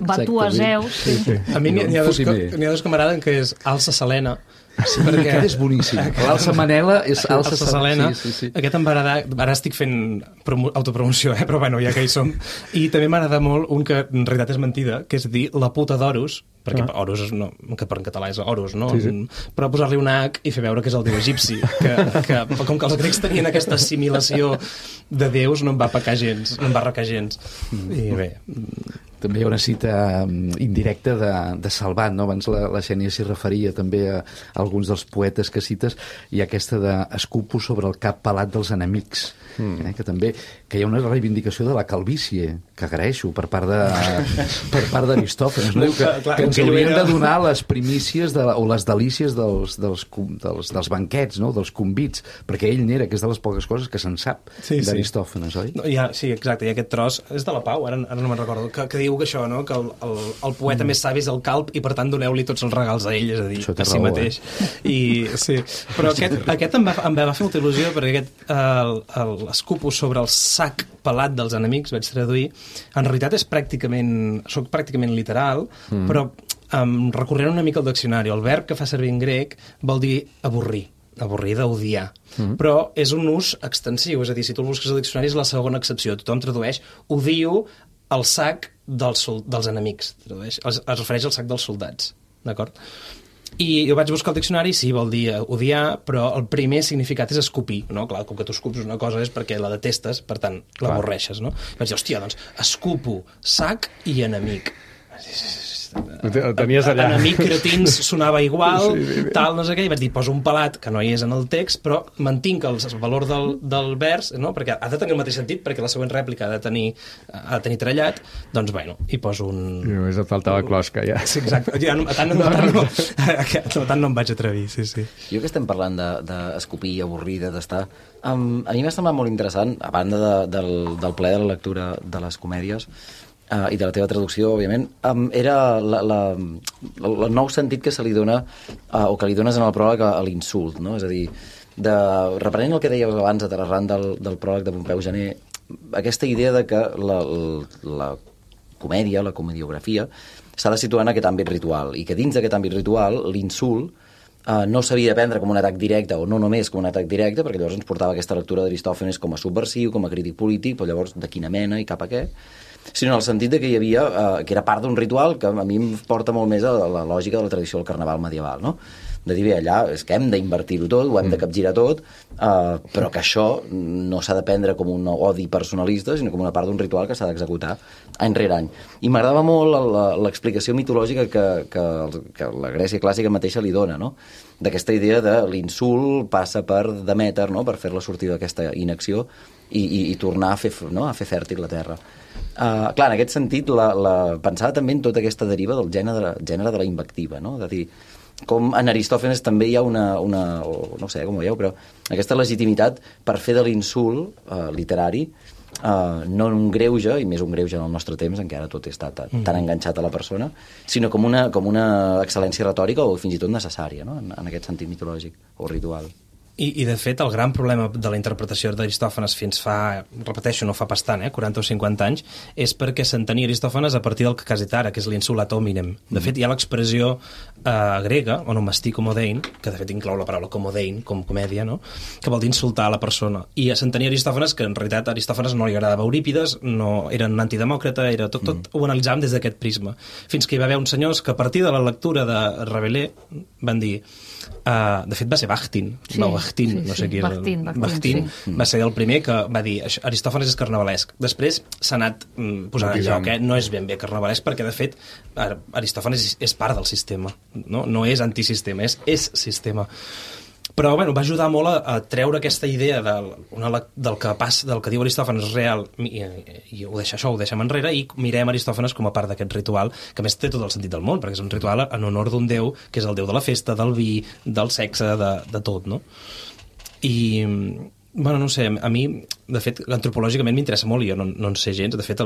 Va tu a Zeus. Sí. A mi n'hi ha dos que m'agraden, que és Alça Selena. Sí, perquè aquest és boníssim. L'Alça Manela és Alça Selena. Sí. Aquest em va agradar, ara estic fent autopromoció, però bueno, ja que hi som. I també m'agrada molt un que en realitat és mentida, que és dir la puta d'Horus, perquè Horus, no, que per en català és Horus, no? Sí. Però posar-li un H i fer veure que és el déu egipci, que com que els grecs tenien aquesta assimilació de déus, no em va pecar gens, no em va recar gens. I bé... També hi ha una cita indirecta de Salvat, no? Abans la Xènia s'hi referia també a alguns dels poetes que cites, i aquesta de escupo sobre el cap pelat dels enemics, que també que hi ha una reivindicació de la calvície, que agraeixo per part d'Aristòfanes, no? Diu que ens haurien de donar les primícies o les delícies dels banquets, no? Dels convits, perquè ell n'era, que és de les poques coses que se'n sap d'Aristòfanes, oi? No, sí, exacte, i aquest tros és de la Pau, ara no me'n recordo, que diu que això, no? Que el poeta més savi és el calb i per tant doneu-li tots els regals a ell, és a dir, a si mateix. Sí. Però aquest em va fer molta il·lusió, perquè aquest l'escupo sobre el sac pelat dels enemics, vaig traduir, en realitat soc pràcticament literal, però recorrent una mica al diccionari, el verb que fa servir en grec vol dir avorrir d'odiar, però és un ús extensiu, és a dir, si tu el busques al diccionari és la segona accepció, tothom tradueix odio el sac dels enemics, es refereix al sac dels soldats, d'acord? I jo vaig buscar el diccionari, sí, vol dir odiar, però el primer significat és escopir, no? Clar, com que tu escupes una cosa és perquè la detestes, per tant, l'avorreixes, no? I vaig dir, hòstia, doncs, escupo, sac i enemic. Tenies allà. Enemic, cretins, sonava igual, tal, no sé què, i vaig dir, poso un pelat, que no hi és en el text, però mantinc el valor del vers, no? Perquè ha de tenir el mateix sentit, perquè la següent rèplica ha de tenir trellat, doncs, bueno, hi poso un... I només et faltava closca, ja. Sí, exacte. Tant no em vaig atrevir, sí. Jo que estem parlant d'escopir, avorrir, de tastar, a mi m'ha semblat molt interessant, a banda del plaer de la lectura de les comèdies, i de la teva traducció, òbviament, era el nou sentit que se li dona, o que li dones en el pròleg a l'insult, no? És a dir, reprenent el que dèieu abans arran del pròleg de Pompeu Gener, aquesta idea de que la comèdia, la comediografia, s'ha de situar en aquest àmbit ritual, i que dins d'aquest àmbit ritual, l'insult no s'havia de prendre com un atac directe, o no només com un atac directe, perquè llavors ens portava aquesta lectura d'Aristòfanes com a subversiu, com a crític polític, però llavors de quina mena i cap a què, sinó en el sentit de que hi havia, que era part d'un ritual que a mi em porta molt més a la lògica de la tradició del carnaval medieval, no? De dir, bé, allà és que hem d'invertir-ho tot, ho hem de capgirar tot, però que això no s'ha de prendre com un odi personalista, sinó com una part d'un ritual que s'ha d'executar any rere any. I m'agradava molt l'explicació mitològica que la Grècia clàssica mateixa li dona, no? D'aquesta idea de l'insult passa per Demeter, no? Per fer-la sortir d'aquesta inacció i tornar a fer fèrtil la terra. Clar, en aquest sentit, pensava també en tota aquesta deriva del gènere de la invectiva, no? De dir, com en Aristòfanes també hi ha no sé com ho veieu, però aquesta legitimitat per fer de l'insult literari no un greuge, i més un greuge en el nostre temps en què ara tot està tan enganxat a la persona, sinó com una excel·lència retòrica o fins i tot necessària, no? En aquest sentit mitològic o ritual. I de fet, el gran problema de la interpretació d'Aristòfanes fins fa, repeteixo, no fa pas tant, 40 o 50 anys, és perquè s'entenia Aristòfanes a partir del que quasi ara, que és l'insulat hominem. De fet, hi ha l'expressió grega, onomastí comodein, que de fet inclou la paraula comodein, com comèdia, no? Que vol dir insultar a la persona. I s'entenia Aristòfanes que en realitat a Aristòfanes no li agradava Eurípides, no era un antidemòcrata, era tot ho analitzàvem des d'aquest prisma. Fins que hi va haver uns senyors que a partir de la lectura de Rabelais van dir... de fet va ser Bakhtin, Bakhtin, no sé qui és. Bakhtin va ser el primer que va dir Aristòfanes és carnavalesc. Després s'ha anat posant en lloc, no és ben bé carnavalesc, perquè de fet Aristòfanes és part del sistema, no és antisistema, és sistema. Però bueno, va ajudar molt a treure aquesta idea del que diu Aristòfanes real i ho deixem enrere i mirem Aristòfanes com a part d'aquest ritual, que a més té tot el sentit del món, perquè és un ritual en honor d'un déu, que és el déu de la festa, del vi, del sexe, de tot, no? I, bueno, no sé, a mi, de fet, antropològicament m'interessa molt i jo no en sé gens. De fet,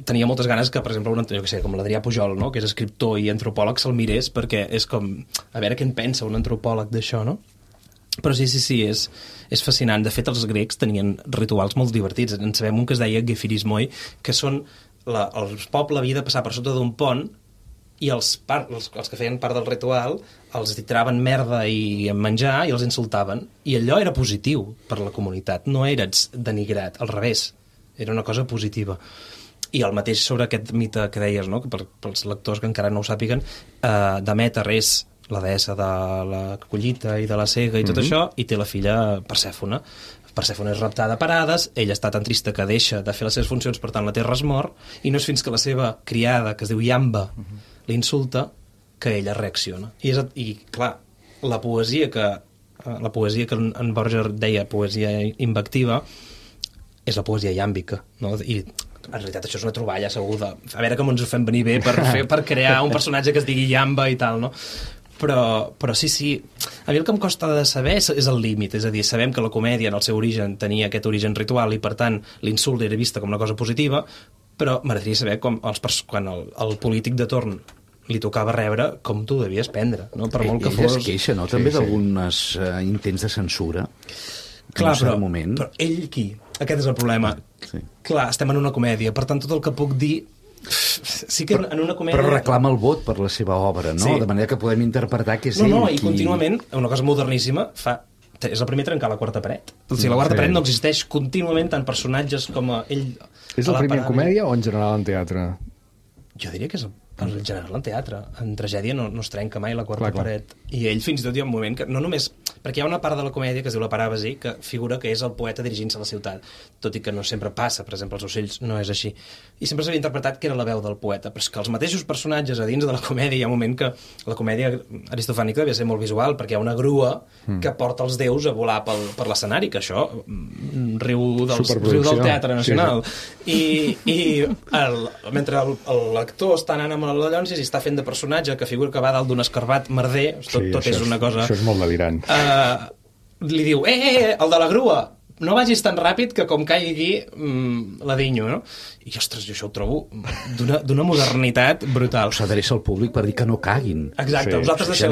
tenia moltes ganes que, per exemple, com l'Adrià Pujol, no?, que és escriptor i antropòleg, se'l mirés, perquè és com, a veure què en pensa un antropòleg d'això, no? Però sí, és fascinant. De fet, els grecs tenien rituals molt divertits. En sabem un que es deia gefirismoi, que són el poble havia de passar per sota d'un pont i els que feien part del ritual els tiraven merda i menjar i els insultaven. I allò era positiu per la comunitat, no eres denigrat, al revés, era una cosa positiva. I el mateix sobre aquest mite que deies, no?, que pels lectors que encara no ho sàpiguen, Demeter és la deessa de la collita i de la sega i tot això, i té la filla Persèfone. Persèfone és raptada per Hades, ella està tan trista que deixa de fer les seves funcions, per tant la Terra es mor, i no és fins que la seva criada, que es diu Iamba, l'insulta, que ella reacciona. I clar, la poesia que en Borges deia poesia invectiva és la poesia iàmbica, no? I en realitat això és una troballa segur a veure com ens ho fem venir bé per crear un personatge que es digui Iamba i tal, no? Però sí, a mi el que em costa de saber és el límit, és a dir, sabem que la comèdia en el seu origen tenia aquest origen ritual i per tant l'insult era vista com una cosa positiva, però m'agradaria saber quan el polític de torn li tocava rebre, com tu devies prendre, no? Per molt que fos... Ell es queixa, no?, també d'alguns intents de censura. Clar, però ell qui? Aquest és el problema. Sí. Clar, estem en una comèdia, per tant tot el que puc dir... Sí que en una comèdia... Però reclama el vot per la seva obra, no? Sí. De manera que podem interpretar que és ell i contínuament, una cosa moderníssima, és el primer a trencar la quarta paret. O sigui, la quarta paret no existeix contínuament, tant personatges com ell... És el primer en comèdia o en general en teatre? Jo diria que és en general en teatre. En tragèdia no es trenca mai la quarta paret. I ell fins i tot hi ha un moment que no només... Perquè hi ha una part de la comèdia que es diu la paràbasi, que figura que és el poeta dirigint-se a la ciutat, tot i que no sempre passa. Per exemple, els ocells no és així. I sempre s'havia interpretat que era la veu del poeta, però és que els mateixos personatges a dins de la comèdia, hi ha un moment que la comèdia aristofànica devia ser molt visual, perquè hi ha una grua que porta els déus a volar per l'escenari, que això riu del Teatre Nacional. Sí. I mentre l'actor està anant amb la Llonsis i està fent de personatge que figura que va dalt d'un escarbat merder, tot és una cosa... Això és molt delirant. Li diu, el de la grua, no vagis tan ràpid que com caigui la dinyo, no? I, ostres, jo això ho trobo d'una modernitat brutal. S'adreça al públic per dir que no caguin. Exacte, vosaltres deixeu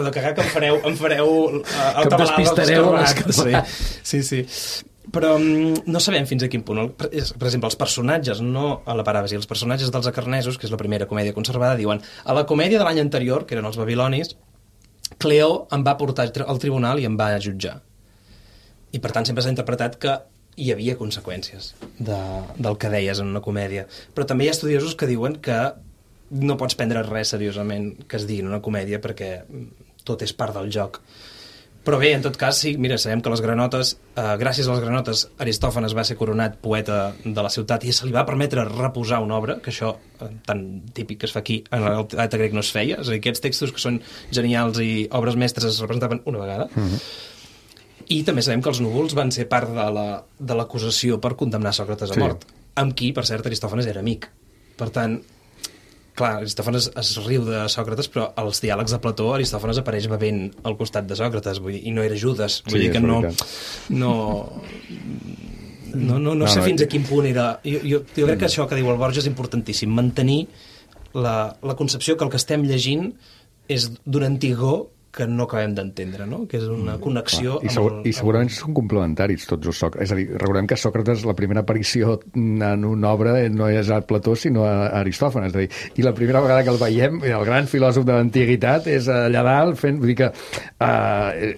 de cagar, que em fareu que em despistareu a l'escarbat. Sí. Però no sabem fins a quin punt. Per exemple, els personatges, no a la paràbasi, els personatges dels acarnesos, que és la primera comèdia conservada, diuen a la comèdia de l'any anterior, que eren els babilonis, Cleó em va portar al tribunal i em va jutjar. I per tant sempre s'ha interpretat que hi havia conseqüències del que deies en una comèdia. Però també hi ha estudiosos que diuen que no pots prendre res seriosament que es digui en una comèdia perquè tot és part del joc. Però bé, en tot cas, sí, mira, sabem que les granotes, gràcies a les granotes, Aristòfanes va ser coronat poeta de la ciutat i se li va permetre reposar una obra, que això tan típic que es fa aquí, en el teatre grec no es feia. És a dir, aquests textos que són genials i obres mestres es representaven una vegada. I també sabem que els núvols van ser part de l'acusació per condemnar Sòcrates a mort, amb qui, per cert, Aristòfanes era amic. Per tant, clar, Aristòfanes es riu de Sòcrates, però als diàlegs de Plató Aristòfanes apareix bevent al costat de Sòcrates, vull dir, i no era Judes, vull dir que no sé fins a quin punt era... Jo crec que això que diu el Borges és importantíssim, mantenir la concepció que el que estem llegint és d'un antigor que no acabem d'entendre, no? Que és una connexió... I segurament són complementaris tots els Sòcrates. És a dir, recordem que Sòcrates, la primera aparició en una obra no és a Plató, sinó a Aristòfanes. És a dir, i la primera vegada que el veiem, el gran filòsof de l'antiguitat, és allà dalt fent... Vull dir que...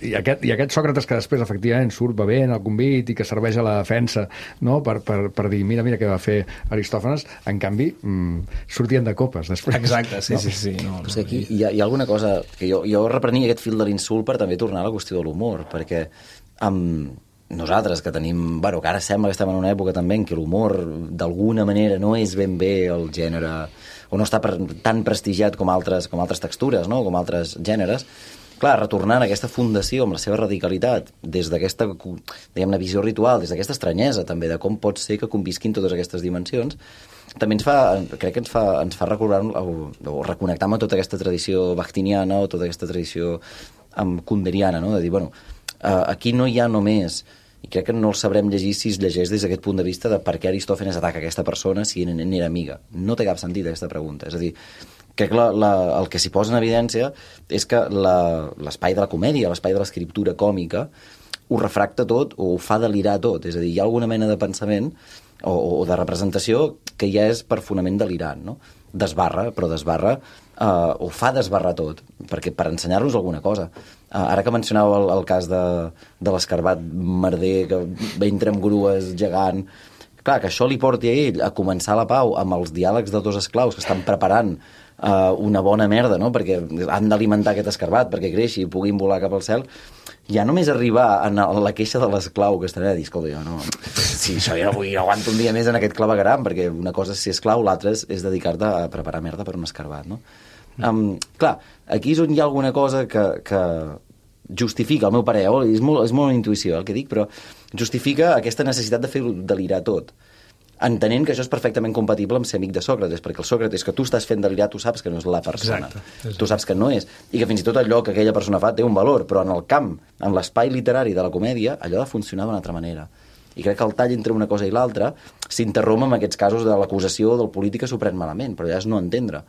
I aquest Sòcrates que després, efectivament, surt bevent al convit i que serveix a la defensa, no? Per dir, mira què va fer Aristòfanes, en canvi, sortien de copes després. Exacte, sí. No, però és que aquí hi ha alguna cosa que jo reprenia mica aquest fil de l'insult per també tornar a la qüestió de l'humor, perquè nosaltres que tenim... Bueno, que ara sembla que estem en una època també en què l'humor d'alguna manera no és ben bé el gènere, o no està tan prestigiat com altres textures, no? Com altres gèneres. Clar, retornant a aquesta fundació amb la seva radicalitat, des d'aquesta, diguem-ne, visió ritual, des d'aquesta estranyesa també, de com pot ser que convisquin totes aquestes dimensions, també crec que ens fa recordar o reconnectar amb tota aquesta tradició bachtiniana o tota aquesta tradició kunderiana, no? De dir, bueno, aquí no hi ha només, i crec que no el sabrem llegir si es llegeix des d'aquest punt de vista de per què Aristòfanes ataca aquesta persona si n'era amiga. No té cap sentit aquesta pregunta. És a dir, crec que el que s'hi posa en evidència és que l'espai de la comèdia, l'espai de l'escriptura còmica, ho refracta tot o ho fa delirar tot. És a dir, hi ha alguna mena de pensament o de representació que ja és per fonament delirant, no? Desbarra, o fa desbarrar tot, perquè per ensenyar-nos alguna cosa. Ara que mencionàveu el cas de l'escarbat merder que entra amb grues gegant, clar, que això li porti a ell a començar la pau amb els diàlegs de dos esclaus que estan preparant una bona merda, no? Perquè han d'alimentar aquest escarbat perquè creixi i puguin volar cap al cel. Ja només arribar a la queixa de l'esclau que estarà a dir, escolta, jo no... Sí, això jo no aguanto un dia més en aquest clavegueram, perquè una cosa és ser esclau, l'altra és dedicar-te a preparar merda per un escarbat, no? Clar, aquí és on hi ha alguna cosa que justifica, al meu parer, és molt intuïció el que dic, però justifica aquesta necessitat de fer delirar tot, entenent que això és perfectament compatible amb ser amic de Sòcrates, perquè el Sòcrates que tu estàs fent delirar, tu saps que no és la persona. Exacte. Tu saps que no és. I que fins i tot allò que aquella persona fa té un valor, però en el camp, en l'espai literari de la comèdia, allò ha de funcionar d'una altra manera. I crec que el tall entre una cosa i l'altra s'interromp amb aquests casos de l'acusació del polític que s'ho pren malament, però ja és no entendre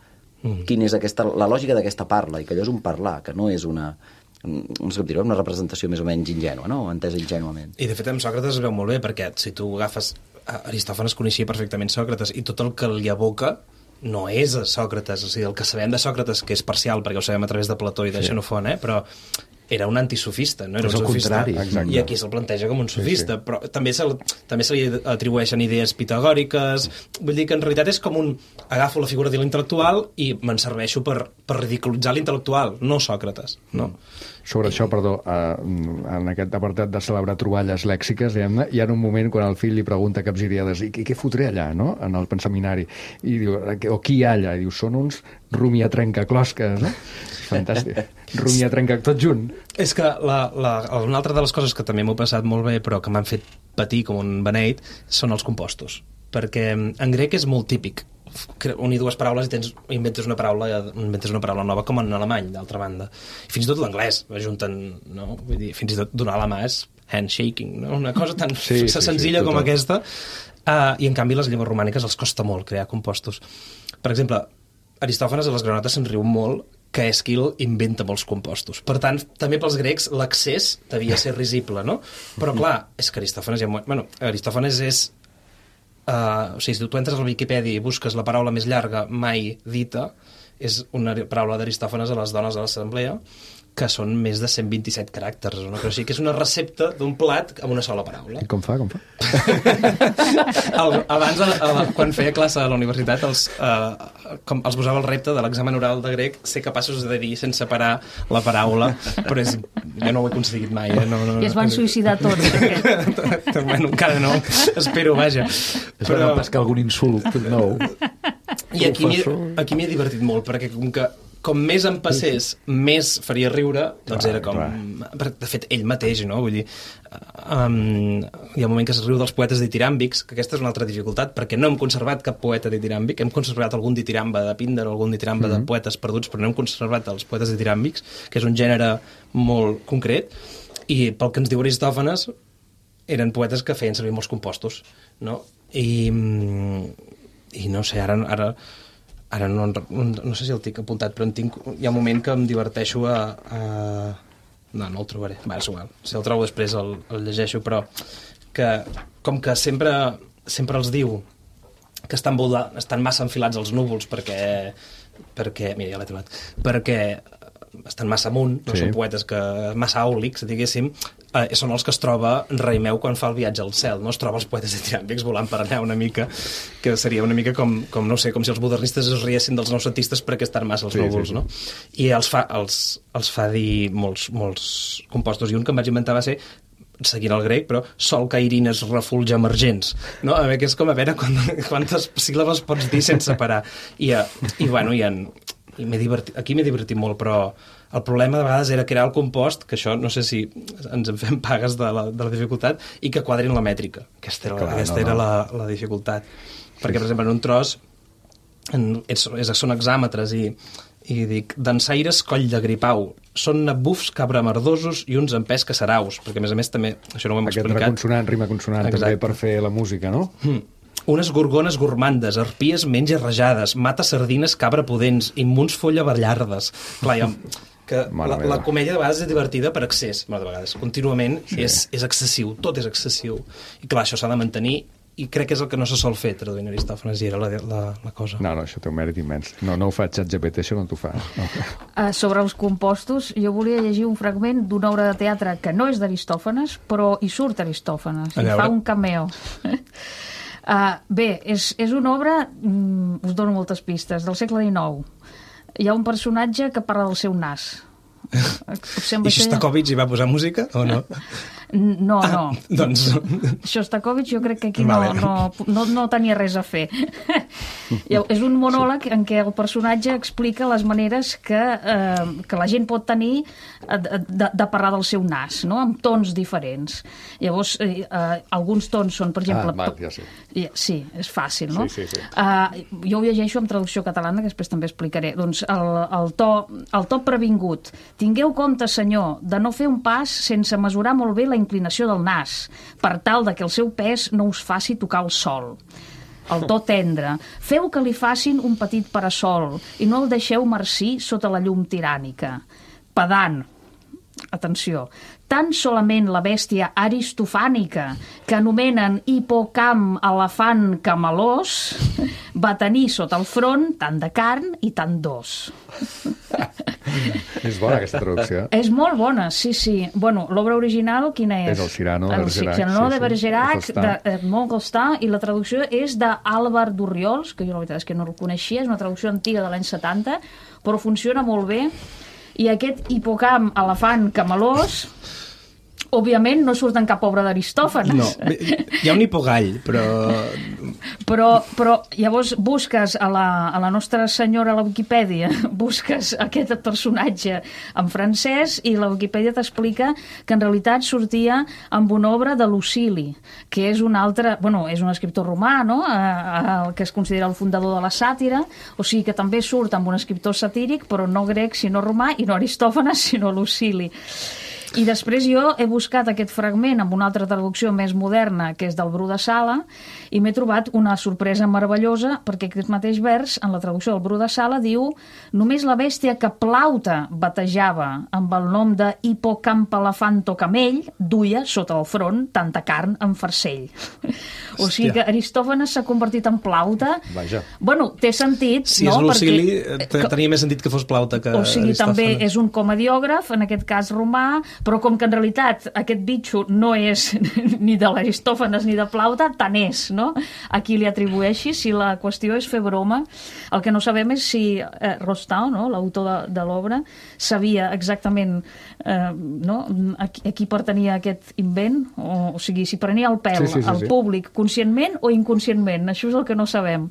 quina és la lògica d'aquesta parla, i que allò és un parlar, que no és una representació més o menys ingènua, no? Entesa ingènuament. I de fet amb Sòcrates es veu molt bé, perquè si tu agafes Aristòfanes coneixia perfectament Sòcrates i tot el que li aboca no és a Sòcrates, o sigui, el que sabem de Sòcrates, que és parcial, perquè ho sabem a través de Plató i de Xenofont, però era un antisofista, no era un sofista. I aquí se'l planteja com un sofista, però també se li atribueixen idees pitagòriques, vull dir que en realitat és com agafo la figura de l'intel·lectual i me'n serveixo per ridiculitzar l'intel·lectual, no Sòcrates, no? Sobre això, perdó, en aquest apartat de celebrar troballes lèxiques, diguem-ne, hi ha un moment quan el fill li pregunta capgiriades, i què fotré allà, no?, en el pensaminari, i diu, o qui hi ha allà? I diu, són uns rumiatrencaclosques, no? Fantàstic. Rumiatrenca tot junt. És que una altra de les coses que també m'ho he passat molt bé, però que m'han fet patir com un beneit, són els compostos. Perquè en grec és molt típic unir dues paraules i inventes una paraula nova, com en alemany, d'altra banda. I fins i tot l'anglès ajunten, no? Vull dir, fins i tot donar la mà és handshaking, no? Una cosa tan senzilla com aquesta. I en canvi les llengües romàniques els costa molt crear compostos. Per exemple, Aristòfanes a les granotes se'n riu molt que Èsquil inventa molts compostos. Per tant, també pels grecs l'accés devia ser risible, no? Però clar, és que Aristòfanes és... o sigui, si tu entres a la Viquipèdia i busques la paraula més llarga mai dita, és una paraula d'Aristòfanes a les dones de l'assemblea, que són més de 127 caràcters, no? Però sí que és una recepta d'un plat amb una sola paraula. I com fa? Abans, quan feia classe a la universitat, els posava el repte de l'examen oral de grec ser capaços de dir sense parar la paraula, però jo no ho he aconseguit mai. I es van suïcidar tots. Bueno, encara no, espero, vaja. Es va pescar algun insult nou. I aquí m'hi he divertit molt, perquè com més em passés, més faria riure, doncs era com... De fet, ell mateix, no? Vull dir, hi ha un moment que es riu dels poetes ditiràmbics, que aquesta és una altra dificultat, perquè no hem conservat cap poeta ditiràmbic, hem conservat algun ditiramba de Píndar o algun ditiramba de poetes perduts, però no hem conservat els poetes ditiràmbics, que és un gènere molt concret, i pel que ens diu Aristòfanes, eren poetes que feien servir molts compostos, no? I no sé, ara no sé si el tinc apuntat, però hi ha un moment que em diverteixo No el trobaré. Va, és igual. Si el trobo després el llegeixo, però que com que sempre els diu que estan massa enfilats als núvols perquè mira, ja l'he trobat, perquè estan massa amunt, no són poetes massa àulics, diguéssim, són els que es troba Raimeu quan fa el viatge al cel, no? Es troba els poetes ditiràmbics volant per allà una mica, que seria una mica com no sé, com si els modernistes es riessin dels noucentistes perquè estan massa els núvols, no? I els fa dir molts compostos, i un que em vaig inventar va ser, seguint el grec, però sol cairines refulge emergents, no? A veure, que és com a veure quantes síl·labes pots dir sense parar. Aquí m'he divertit molt, però el problema de vegades era crear el compost, que això no sé si ens en fem pagues de la dificultat, i que quadrin la mètrica. Aquesta era la dificultat. Perquè, per exemple, en un tros són hexàmetres i dic, dansaires coll de gripau, són bufs cabramerdosos i uns empès caçaraus, perquè a més també, això no ho hem explicat. Aquest rima consonant també per fer la música, no? Unes gorgones gormandes, arpies menja rajades, mata sardines cabra pudents, immuns folla ballardes. Clar, que la comèdia de vegades és divertida per excés, de vegades, contínuament és excessiu, tot és excessiu. I clar, això s'ha de mantenir, i crec que és el que no se sol fer traduint Aristòfanes, i era la cosa. No, això té un mèrit immens. No ho fa ChatGPT, això no t'ho fa. Sobre els compostos, jo volia llegir un fragment d'una obra de teatre que no és d'Aristòfanes, però hi surt Aristòfanes, i fa un cameo. Bé, és una obra, us dono moltes pistes, del segle XIX. Hi ha un personatge que parla del seu nas. I Shostakovich hi va posar música o no? No. Doncs... Shostakovich jo crec que aquí no tenia res a fer. És un monòleg en què el personatge explica les maneres que la gent pot tenir de parlar del seu nas, no? Amb tons diferents. Llavors, alguns tons són, per exemple... ja sé. Sí, és fàcil, no? Sí. Jo ho llegeixo amb traducció catalana, que després també explicaré. Doncs el to previngut. Tingueu compte, senyor, de no fer un pas sense mesurar molt bé la inclinació del nas, per tal de que el seu pes no us faci tocar el sol. El to tendre. Feu que li facin un petit parasol i no el deixeu marcir sota la llum tirànica. Pedant. Atenció. Tan solament la bèstia aristofànica, que anomenen hipocamp elefant camalós, va tenir sota el front tant de carn i tant d'os. És bona aquesta traducció. És molt bona, sí. Bueno, l'obra original quina és? És el Cyrano de Bergerac. El Cyrano de Bergerac, d'Edmond Rostand, i la traducció és d'Àlvar d'Orriols, que jo la veritat és que no el coneixia, és una traducció antiga de l'any 70, però funciona molt bé. I aquest hipocamp elefant camalós, òbviament no surt en cap obra d'Aristòfanes. No, hi ha un hipogall, però llavors busques a la Nostra Senyora a la Viquipèdia, busques aquest personatge en francès i la Viquipèdia t'explica que en realitat sortia amb una obra de Lucili, que és un altre, és un escriptor romà, no? El que es considera el fundador de la sàtira, o sigui que també surt amb un escriptor satíric, però no grec sinó romà, i no Aristòfanes sinó Lucili. I després jo he buscat aquest fragment amb una altra traducció més moderna, que és del Bru de Sala, i m'he trobat una sorpresa meravellosa, perquè aquest mateix vers, en la traducció del Bru de Sala, diu: només la bèstia que Plaute batejava amb el nom de hipocamp-elefanto camell duia sota el front tanta carn en farcell. O sigui que Aristòfanes s'ha convertit en Plaute. Vaja. Bueno, té sentit, si no? Si és Lucili, tenia més sentit que fos Plaute que Aristòfanes. O sigui, també és un comediògraf, en aquest cas romà, però com que en realitat aquest bitxo no és ni de l'Aristòfanes ni de Plaute, tant és, no? A qui li atribueixi, si la qüestió és fer broma. El que no sabem és si Rostand, no, l'autor de l'obra, sabia exactament a qui pertanyia aquest invent, o sigui, si prenia el pèl al públic conscientment o inconscientment, això és el que no sabem.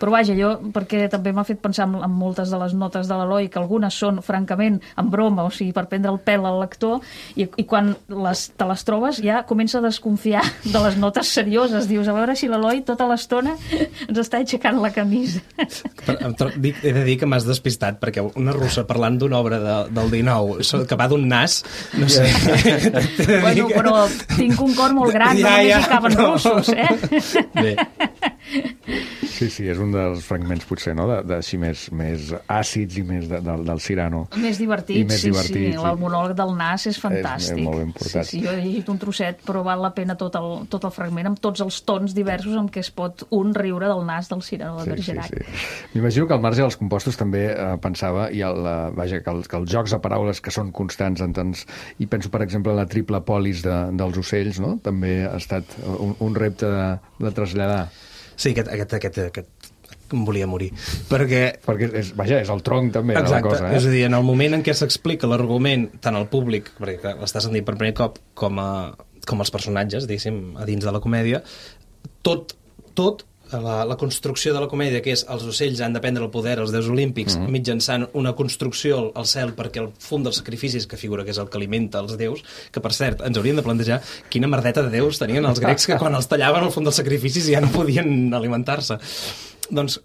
Però vaja, jo, perquè també m'ha fet pensar en moltes de les notes de l'Eloi, que algunes són francament en broma, o sigui, per prendre el pèl al lector, i quan te les trobes ja comença a desconfiar de les notes serioses. Dius, a veure si l'Eloi tota l'estona ens està aixecant la camisa. He de dir que m'has despistat, perquè una russa parlant d'una obra del 19 que va d'un nas, no sé. Bueno, però tinc un cor molt gran, no només hi caben russos, eh? Bé. Sí, és un dels fragments, potser, no?, així més àcids i més del Cyrano. Més divertits, sí. El monòleg del nas és fantàstic. És molt ben portat. Sí, jo he llegit un trosset, però val la pena tot el fragment, amb tots els tons diversos amb què es pot riure del nas del Cyrano de Bergerac. Sí. M'imagino que al marge dels compostos també pensava, i que els jocs de paraules que són constants en tants... I penso, per exemple, la triple polis dels ocells, no?, també ha estat un repte de traslladar. Sí, aquest em volia morir. Perquè és el tronc també. Exacte, de la cosa. És a dir, en el moment en què s'explica l'argument tant al públic, perquè l'estàs sentint per primer cop, com als personatges, diguéssim, a dins de la comèdia, tot la construcció de la comèdia, que és els ocells han de prendre el poder als déus olímpics mitjançant una construcció al cel perquè el fum dels sacrificis, que figura que és el que alimenta els déus, que per cert, ens hauríem de plantejar quina merdeta de déus tenien els grecs que quan els tallaven el fum dels sacrificis ja no podien alimentar-se. Doncs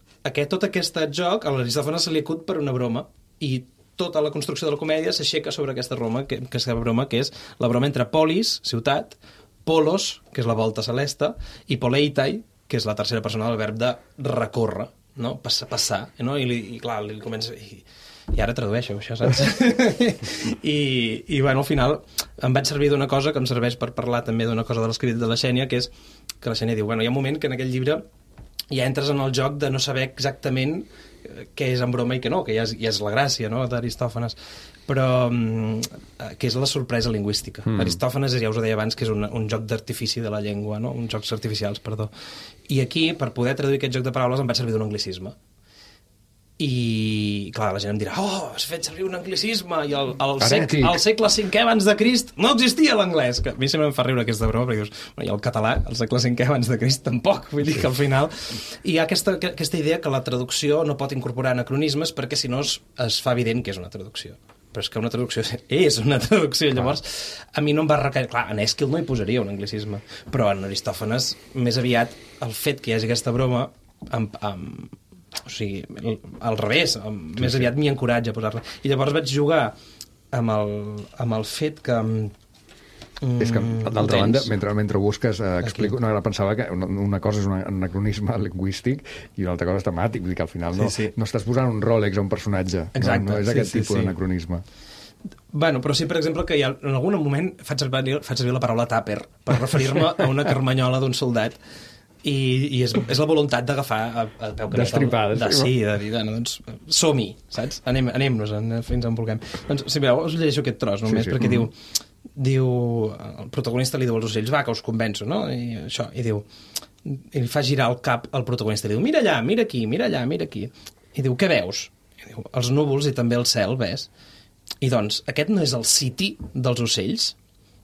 tot aquest joc a l'Aristòfanes se li acut per una broma, i tota la construcció de la comèdia s'aixeca sobre aquesta broma, que és la broma entre polis, ciutat, polos, que és la volta celeste, i poleitai, que és la tercera persona del verb de recórrer, no? Passar, no? I clar, li comença... I ara tradueixo, això, saps? I bueno, al final em vaig servir d'una cosa que em serveix per parlar també d'una cosa de l'escrit de la Xènia, que és que la Xènia diu, bueno, hi ha un moment que en aquell llibre ja entres en el joc de no saber exactament què és en broma i què no, que ja és la gràcia, no?, d'Aristòfanes, però que és la sorpresa lingüística. Aristòfanes, ja us ho deia abans, que és un joc d'artifici de la llengua, no?, uns jocs artificials, perdó. I aquí, per poder traduir aquest joc de paraules, em vaig servir d'un anglicisme. I, clar, la gent em dirà, has fet servir un anglicisme, i al segle V abans de Crist no existia l'anglès, que a mi sempre em fa riure aquesta broma, perquè dius, i el català, al segle V abans de Crist tampoc, vull dir que al final hi ha aquesta idea que la traducció no pot incorporar anacronismes perquè si no es fa evident que és una traducció. Però és que una traducció és una traducció, llavors a mi no em va requerir, clar, en Èsquil no hi posaria un anglicisme, però en Aristòfanes més aviat el fet que hi hagi aquesta broma o sigui, al revés, més aviat m'hi encoratja a posar-la. I llavors vaig jugar amb el fet que... És que, d'altra banda, mentre ho busques, explico, ara pensava que una cosa és un anacronisme lingüístic i una altra cosa és temàtic, vull dir que al final no estàs posant un Rolex a un personatge. Exacte, no és aquest tipus d'anacronisme. Bueno, però sí, per exemple, que en algun moment faig servir la paraula tàper per referir-me a una carmanyola d'un soldat, i és la voluntat d'agafar a peu que d'estripades. Sí, de dir, doncs som-hi, saps? Anem-nos fins on vulguem. Doncs, si mireu, us llegeixo aquest tros només, perquè diu, el protagonista li diu als ocells, va, que us convenço, no? I diu, i li fa girar el cap al protagonista, i diu, mira allà, mira aquí, mira allà, mira aquí. I diu, què veus? I diu, els núvols i també el cel, ves? I doncs, aquest no és el city dels ocells?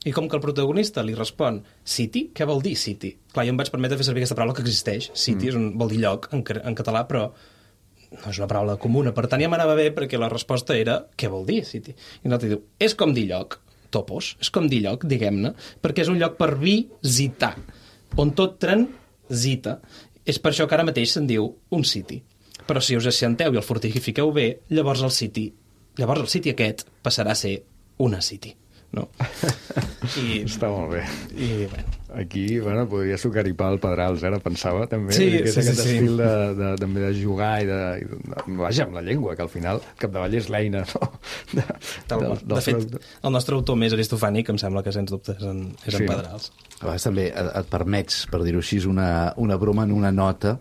I com que el protagonista li respon city, què vol dir city? Clar, jo em vaig permetre fer servir aquesta paraula que existeix. City vol dir lloc en català, però no és una paraula comuna. Per tant, ja m'anava bé perquè la resposta era què vol dir city? I l'altre diu, és com dir lloc, topos, és com dir lloc, diguem-ne, perquè és un lloc per visitar, on tot transita. És per això que ara mateix se'n diu un city. Però si us assenteu i el fortifiqueu bé, llavors el city aquest passarà a ser una city. No? Està molt bé. I, bueno. Aquí, podria sucar-hi pa al Pedrals, ara pensava, també, sí, que és aquest estil també de jugar i vaja, amb la llengua, que al final capdavall és l'eina, no? De fet, el nostre autor més aristofànic em sembla que, sens dubte, és en Pedrals. A vegades també et permets, per dir-ho així, una broma en una nota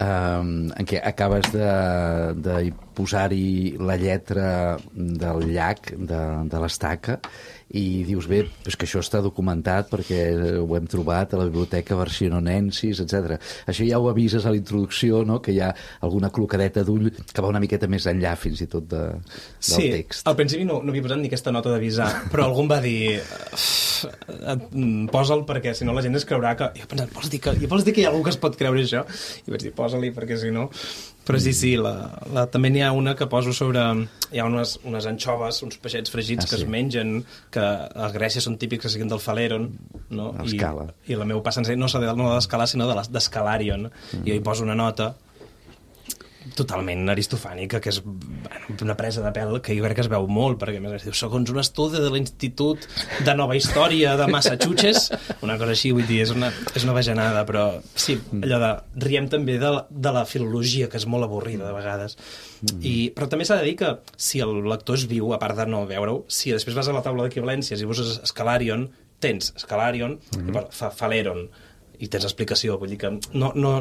en què acabes de posar-hi la lletra del llac, de l'estaca, i dius, bé, és que això està documentat perquè ho hem trobat a la biblioteca Versiononensis, etc. Això ja ho avises a la introducció, no?, que hi ha alguna clocadeta d'ull que va una miqueta més enllà fins i tot del text. Sí, al principi no havia posat ni aquesta nota d'avisar, però algú em va dir posa'l perquè si no la gent es creurà que... Jo he pensat, vols dir que hi ha algú que es pot creure això? I vaig dir, posa-li perquè si no... Però sí, també n'hi ha una que poso sobre... Hi ha unes anxoves, uns peixets fregits que es mengen, que a Grècia són típics que siguin del Phaleron, no? I la meva passa no de l'escalar, sinó d'escalarion. I jo hi poso una nota totalment aristofànica, que és una presa de pèl que jo crec que es veu molt, perquè a més diu, segons un estudi de l'Institut de Nova Història de Massachusetts, una cosa així, vull dir, és una bajanada, però sí, allò de riem també de la filologia, que és molt avorrida de vegades. Però també s'ha de dir que si el lector és viu, a part de no veure-ho, si després vas a la taula d'equivalències i poses Scalarion, tens Scalarion, Phaleron, i tens explicació, vull dir que no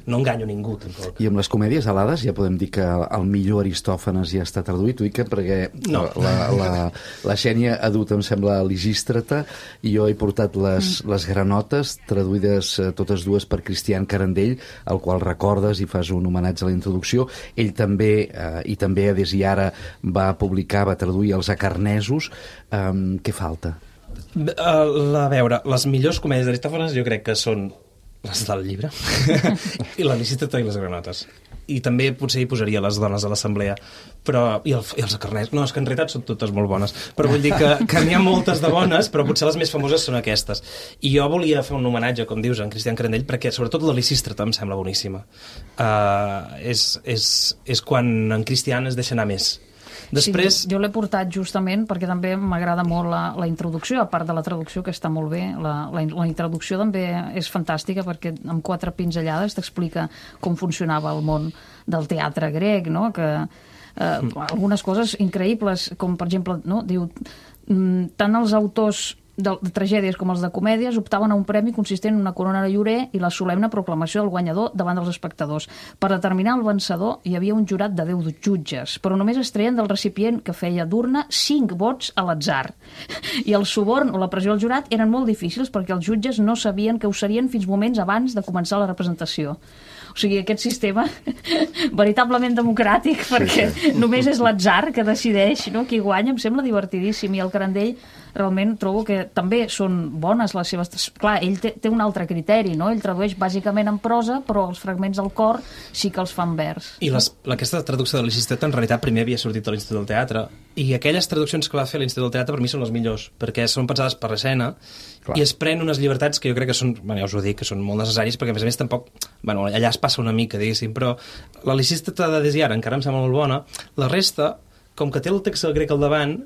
enganyo ningú, tampoc. I amb les comèdies alades ja podem dir que el millor Aristòfanes ja està traduït, ho dic perquè la Xènia ha dut, em sembla, Lisístrata, i jo he portat les granotes, traduïdes totes dues per Cristian Carandell, al qual recordes i fas un homenatge a la introducció. Ell també, i també des i ara, va traduir els acarnesos. Què falta? A veure, les millors comèdies d'Aristòfanes jo crec que són les del llibre i la Lisístrata i les granotes, i també potser hi posaria les dones de l'assemblea, i els acarners. No, és que en realitat són totes molt bones, però vull dir que n'hi ha moltes de bones, però potser les més famoses són aquestes. I jo volia fer un homenatge, com dius, a en Cristian Carandell, perquè sobretot la Lisístrata em sembla boníssima. És quan en Cristian es deixa anar més. Després... Sí, jo l'he portat justament perquè també m'agrada molt la introducció, a part de la traducció, que està molt bé. La introducció també és fantàstica perquè amb 4 pinzellades t'explica com funcionava el món del teatre grec, no? Que algunes coses increïbles, com per exemple, no? Diu, tant els autors de tragèdies com els de comèdies optaven a un premi consistent en una corona de llorer i la solemne proclamació del guanyador davant dels espectadors. Per determinar el vencedor hi havia un jurat de 10 jutges, però només es treien del recipient que feia d'urna 5 vots a l'atzar. I el suborn o la pressió al jurat eren molt difícils perquè els jutges no sabien què ho serien fins moments abans de començar la representació. O sigui, aquest sistema veritablement democràtic, perquè només és l'atzar que decideix, no, qui guanya, em sembla divertidíssim. I el Carandell realment trobo que també són bones les seves... Clar, ell té un altre criteri, no? Ell tradueix bàsicament en prosa, però els fragments del cor sí que els fan vers. I aquesta traducció de Lisístrata en realitat primer havia sortit a l'Institut del Teatre, i aquelles traduccions que va fer l'Institut del Teatre per mi són les millors, perquè són pensades per l'escena i es pren unes llibertats que jo crec que són, ja us ho dic, que són molt necessàries, perquè a més tampoc... allà es passa una mica, diguéssim, però la Lisístrata de Desiara encara em sembla molt bona. La resta, com que té el text grec al davant,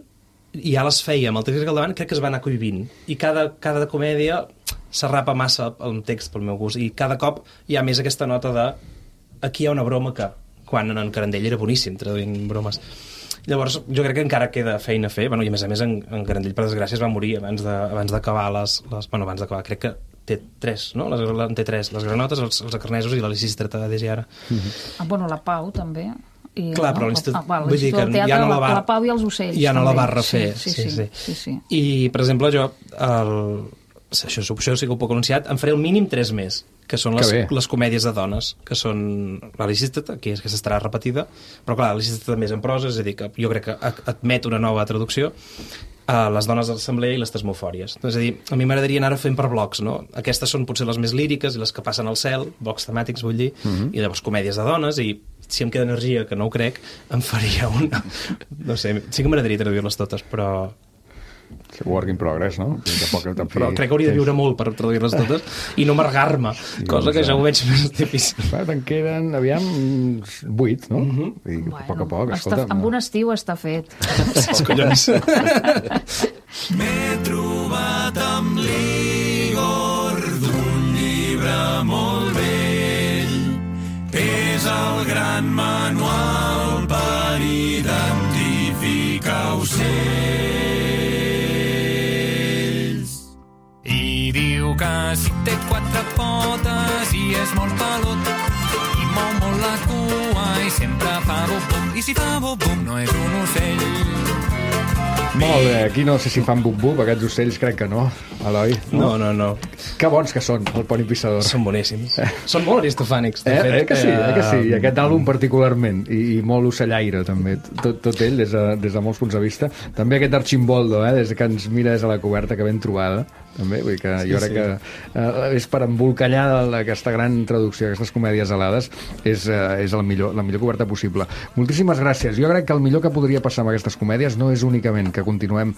i ja les feia amb el text grec al davant, crec que es va anar cohibint. I cada comèdia s'arrapa massa el text pel meu gust, i cada cop hi ha més aquesta nota de aquí hi ha una broma que, quan en Carandell era boníssim traduint bromes. Llavors, jo crec que encara queda feina a fer, i a més en Carandell, per desgràcia, es va morir abans d'acabar abans d'acabar, crec que té 3, no? Té 3, les granotes, els acarnesos i la Lisístrata de Desiara. La Pau, també. Clar, però l'Institut... Vull dir que ja no la Pau i els ocells. Ja no la va refer. Sí. I, per exemple, jo, això sí que ho puc anunciar, en faré el mínim 3 més, que són les comèdies de dones, que són la Lisístrata, que s'estarà repetida, però clar, la Lisístrata més en prosa, és a dir, que jo crec que admet una nova traducció, les dones de l'assemblea i les tesmofòries. És a dir, a mi m'agradaria anar fent per blocs, no? Aquestes són potser les més líriques i les que passen al cel, blocs temàtics, vull dir, i llavors comèdies de dones, i si em queda energia, que no ho crec, em faria una... No sé, sí que m'agradaria traduir-les totes, però... Work in progress, no? Però crec que hauria de viure molt per traduir-les totes i no amargar-me, cosa que ja ho veig més difícil. Te'n queden, aviam, 8, no? I a poc a poc, escolta... Amb un estiu està fet. Els collons. M'he trobat amb l'Igor d'un llibre molt vell. Pesa el gran manual per identificar ocells. Diu que si té 4 potes i és molt pelut i mou molt la cua i sempre fa bum-bum, i si fa bum-bum no és un ocell. Molt bé, aquí no sé si fan bum-bum, aquests ocells crec que no, Eloi. No. Que bons que són, el Pont i Pissador. Són boníssims. Són molt aristofànics, de fet. Que sí, i aquest àlbum particularment, i molt ocellaire també, tot ell des de molts punts de vista. També aquest Archimboldo, des que ens mira des de la coberta, que ben trobada, també, vull dir que jo crec que és per embolcallar aquesta gran traducció, aquestes comèdies alades, és la millor coberta possible. Moltíssimes gràcies. Jo crec que el millor que podria passar amb aquestes comèdies no és únicament que que continuem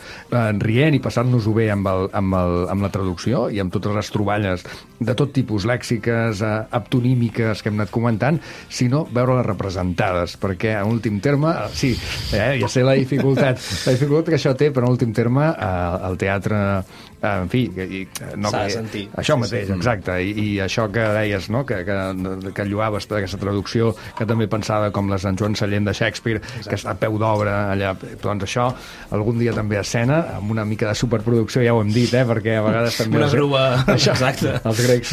rient i passant-nos-ho bé amb la traducció i amb totes les troballes de tot tipus, lèxiques, aptonímiques que hem anat comentant, sinó veure-les representades, perquè en últim terme, sí, ja sé la dificultat que això té, però en últim terme el teatre, en fi, s'ha de sentir. Això mateix, exacte, i això que deies, no? que lloaves d'aquesta traducció, que també pensava com les en Joan Sallent de Shakespeare, que està a peu d'obra allà, doncs això, algun dia també a escena, amb una mica de superproducció, ja ho hem dit, perquè a vegades també... Una grua, això, exacte. Els grecs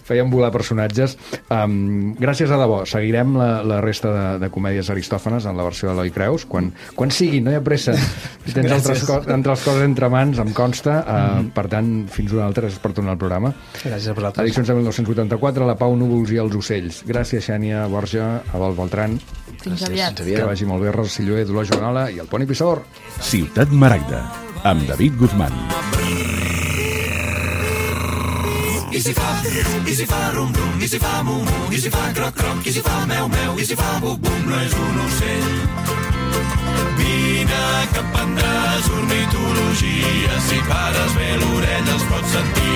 feien volar personatges. Gràcies a debò, seguirem la resta de comèdies Aristòfanes en la versió d'Eloi Creus, quan sigui, no hi ha pressa. Si tens altres coses entre mans, em consta, per tant, fins una altra, gràcies per tornar al programa. Gràcies a vosaltres. Addiccions de 1984, La Pau, Núvols i els ocells. Gràcies, Xènia, Borja, Abel Beltran. Fins aviat. Que vagi molt bé, Rosa Silloé, Dolors Joanola i el Poni Pissador. Ciutat Maragda, amb David Guzmán. I si fa rum rum, i si fa mu mu, i si fa croc croc, i si fa meu meu, i si fa buc bum, no és un ocell. Vine que aprendràs ornitologia, si pares bé l'orella els pots sentir.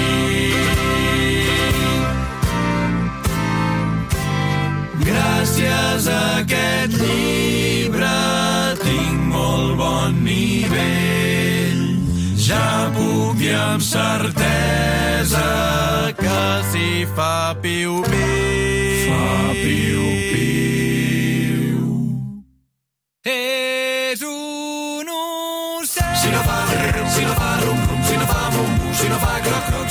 Gràcies a aquest llibre tinc molt bon nivell. Ja puc dir amb certesa que si fa piu-piu, fa piu-piu. És un ocell. Si no fa rum-rum, si no fa mum-mum, si no fa croc-croc,